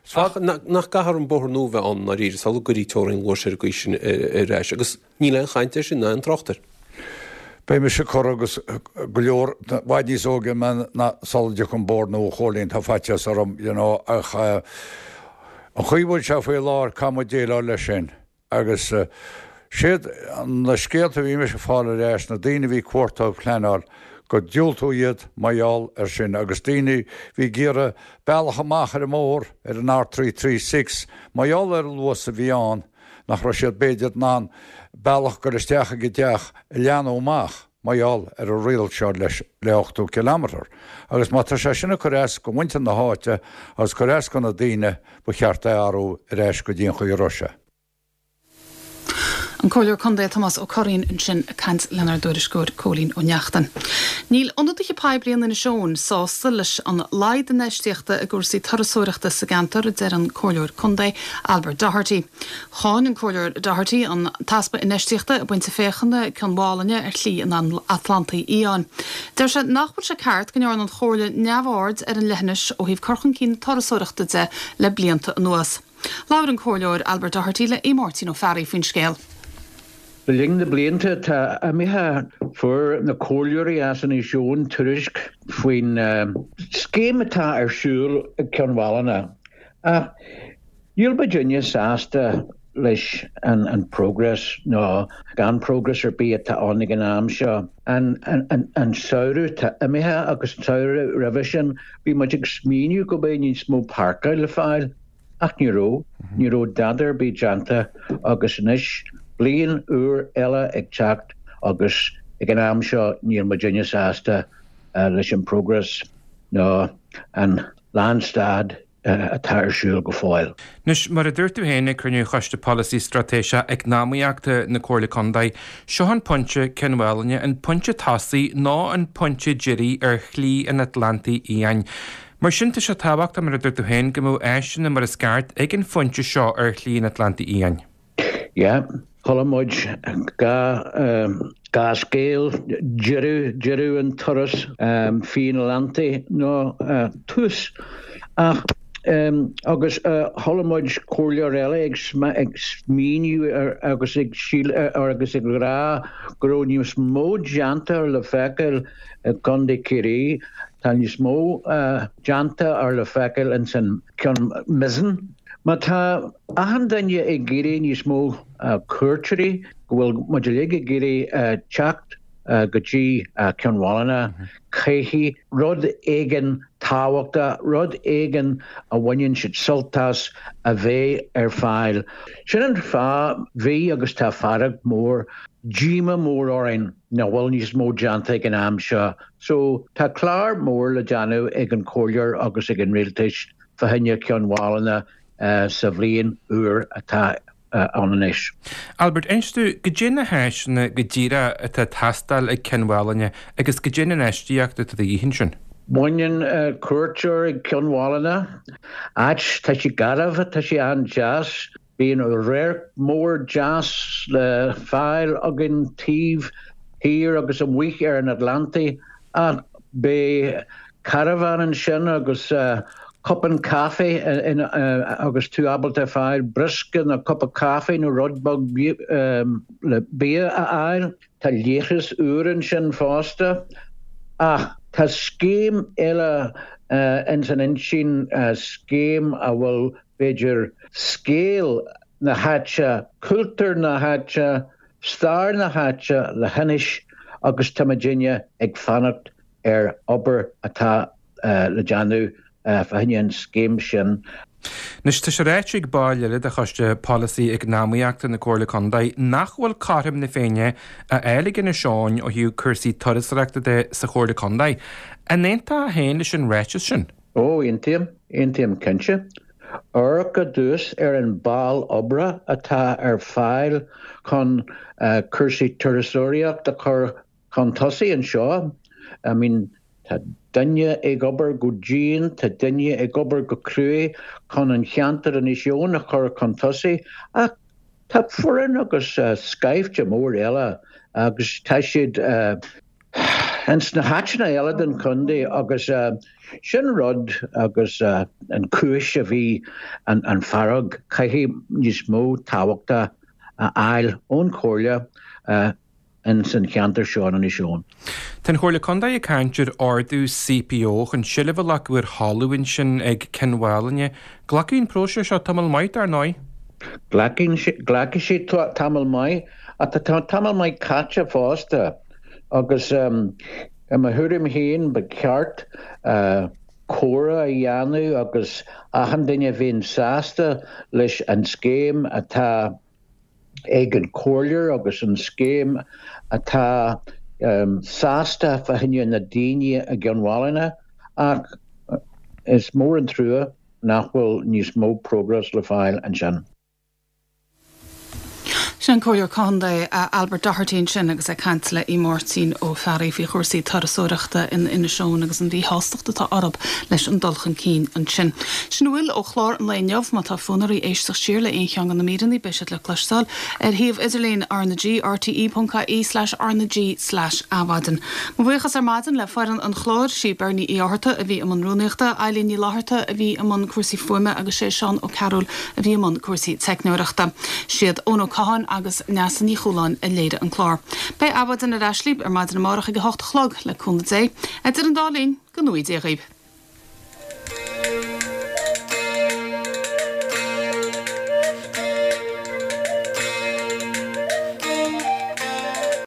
Speaker 11: is
Speaker 12: Ach nach gcaithfear an bóthar nua a bheith ann i ndáiríre sula gcuirí teorainn luais ar an gcaoi sin ar ais agus níl aon chaint air sin ná aon trácht air.
Speaker 11: Beidh mise corradh agus go leor i bhfad níos óige mé ná sula dtiocfaidh an bóthar nua a Chóilín, tá faitíos orm, you know, ach an chaoi a bhfuil sé faoi láthair caithfidh muid déileáil leis sin. Agus séard na scéalta a bhí mise ag fáil ar ais, na daoine a bhí ag cuartú pleanáil, gur diúltaíodh iad mar gheall air sin agus daoine bhí ag iarraidh bealach amach ar an mbóthar ar an R three three six mar gheall ar an luas a bhí ann nach raibh siad b'fhéidir in ann bealach cur isteach ag a dteach a leathnú amach mar gheall ar an riail seo leis le ochtó kilometre agus má tá sé sin ag cur as go muintir na háite agus cur as go na daoine ba cheart é a athrú ar ais go dtí an chaoi a raibh sé.
Speaker 1: An Comhairleoir Contae Tomás Ó Curraoin ansin ag caint lenár dtuairisceoir Cóilín Ó Neachtain. Níl ionadaithe poiblí in Inis Eoghain sásta leis an laghad infheistíochta i gcúrsaí turasóireachta sa gceantar, a deir an Comhairleoir Contae Albert Doherty. Cháin an Comhairleoir Doherty an t-easpa infheistíochta i bpointe féachana Cionn Mhálanna ar Shlí an Atlantaigh Fhiáin. Deir sé nach bhfuil sé ceart go ndearna an Chomhairle neamhaird ar an leithinis ó thaobh cur chun cinn na turasóireachta de le blianta anuas. Labhair an Comhairleoir Albert Doherty le Aodh Máirtín Ó Fearraigh faoin scéal.
Speaker 13: Le linn na blianta atá imithe fuair na comhairleoirí as Inis Eoghain tuairisc faoin scéim atá ar siúl ag Cionn Mhálanna. Ach níl muidinne sásta leis an progress nó gan progress ar bith atá ann ag an am seo. An samhradh atá imithe agus an samhradh roimhe sin bhí muid ag smaoineamh go mbeidh níos mó páirceáil le fáil. Ach ní raibh, ní raibh dada ar bith déanta agus anois, bliain úr eile ag teacht agus ag an am seo níl muidinne sásta leis an progress nó an lánstad atá ar siúl go fóill.
Speaker 14: Anois, mar a dúirt tú féin ag cruinniú Choiste Polasaí Straitéiseach Eacnamaíochta na Comhairle Contae, seo an pointe Cionn Mhálanna, an pointe tosaigh nó an pointe deiridh ar Shlí an Atlantaigh Fhiáin. Mar sin, tá sé tábhachtach, mar a dúirt tú féin, go mbeadh áiseanna mar is ceart ag an phointe seo ar Shlí an Atlantaigh Fhiáin.
Speaker 13: Yeah, chuala muid dhá, dhá scéal, deireadh, deireadh an turas fiáin Atlantaigh nó tús. Ach, agus chuala muid comhairleoir eile ag ag smaoineamh ar agus ag síl agus ag rá go raibh níos mó déanta le feiceáil i gContae Chiarraí, tá níos mó déanta ar le feiceáil ins an Ceann Mizen. Má tá achan duine ag iarraidh níos mó cuairteoirí, go bhfuil muid uilig ag iarraidh teacht go dtí Cionn Mhálanna, caithfidh rud éigin tábhachtach, rud éigin a bhaineann siad sult as a bheith ar fáil. Sin an fáth, bhí agus tá fearg mór, díomá mór orainn nach bhfuil níos mó déanta ag an am seo. So, tá clár mór le déanamh ag an Chomhairleoir agus ag an Rialtais fá choinne Cionn Mhálanna sa bhliain úr atá ann anois.
Speaker 14: Albert, inis domh, goidé na háiseanna go díreach atá ag teastáil ag Cionn Mhálanna agus goidé an infheistíocht atá de dhíth ansin?
Speaker 13: Baineann cuairteoir ag Cionn Mhálanna, áit, tá sé garbh, tá sé an-deas, Bíonn radharc mór deas le fáil againn taobh thiar agus amuigh ar an Atlantaigh ach beidh carbhán ansin agus cupán caife agus tú ábalta fáil briosca nó cupa caife nó rud beag le bia a fháil. Tá leithreas úr ansin fosta. Ach tá scéim eile ins an intinn, scéim a bhfuil b'fhéidir, scéal na háite, cultúr na háite, stair na háite le hinis agus tá muidinne ag fanacht ar obair atá le déanamh fá choinne an scéim sin.
Speaker 14: Anois, tá sé ráite ag baill eile de Choiste Polasaí Eacnamaíochta na Comhairle Contae nach bhfuil cothrom na Féinne á fháil ag Inis Eoghain ó thaobh cúrsaí turasóireachta de sa Chomhairle Contae. An aontófá féin leis an ráiteas sin?
Speaker 13: Ó, aontaím, aontaím cinnte. Amharc i dtús ar an ball oibre atá ar fáil chun cúrsaí turasóireacht a chur chun tosaigh anseo. I mean, tá duine ag obair go dian, tá duine ag obair go cruaidh chun an cheantar Inis Eoghain a chur chun tosaigh ach tá foireann agus scaifte mór eile agus tá siad ins na háiteanna eile den chontae agus sin rud agus an chúis a bhí an fearg, caithfidh níos mó tábhachta a fháil ón chomhairle ins an cheantar seo in Inis Eoghain.
Speaker 14: Tá an Chomhairle Contae ag caint ar ordú CPO chun seilbh a ghlacadh ar thalamh ansin ag Cionn Mhálanna. Glacfaidh an próiseas seo tamall maith, dar ndóigh.
Speaker 13: Glacfaidh sé tamall maith ach tá tamall maith caite fosta agus I mo thuairim féin ba cheart comhrá a dhéanamh agus achan duine a bhíonn sásta leis an scéim atá ag an comhairleoir agus an scéim atá sásta fá choinne na daoine i gCionn Mhálanna ach is mór an trua nach bhfuil níos mó progress le fáil ansin.
Speaker 1: Sin an Comhairleoir Contae Albert Doherty ansin agus é ag caint le Aodh Máirtín Ó Fearraigh faoi chúrsaí turasóireachta in Inis Eoghain agus an mhíshástacht atá orthu leis an dul chun cinn ansin. Sin a bhfuil ó chlár an lae inniu. Má tá fonn oraibh éisteacht siar le aon cheann de na míreanna beidh siad le cloisteáil ar shuíomh idirlín R na G, rte.ie slash R na G slash Adhmhaidin. Mo bhuíochas ar maidin le foireann an chláir, sí Bernie Uí Fhátharta a bhí i mbun rúnaíochta, Eileen Ní Fhlatharta a bhí i mbun cúrsaí fuaime agus sé Seán Ó Cearúil a bhí i mbun cúrsaí teicneoireachta. Siad Eoin Ó Catháin agus Neasa Ní Chualáin a léirigh an clár. Beidh Adhmhaidin ar ais libh ar maidin amárach ag a hocht a chlog, le cúnamh Dé. Idir an dá linn, go ngnóthaí Dia dhaoibh.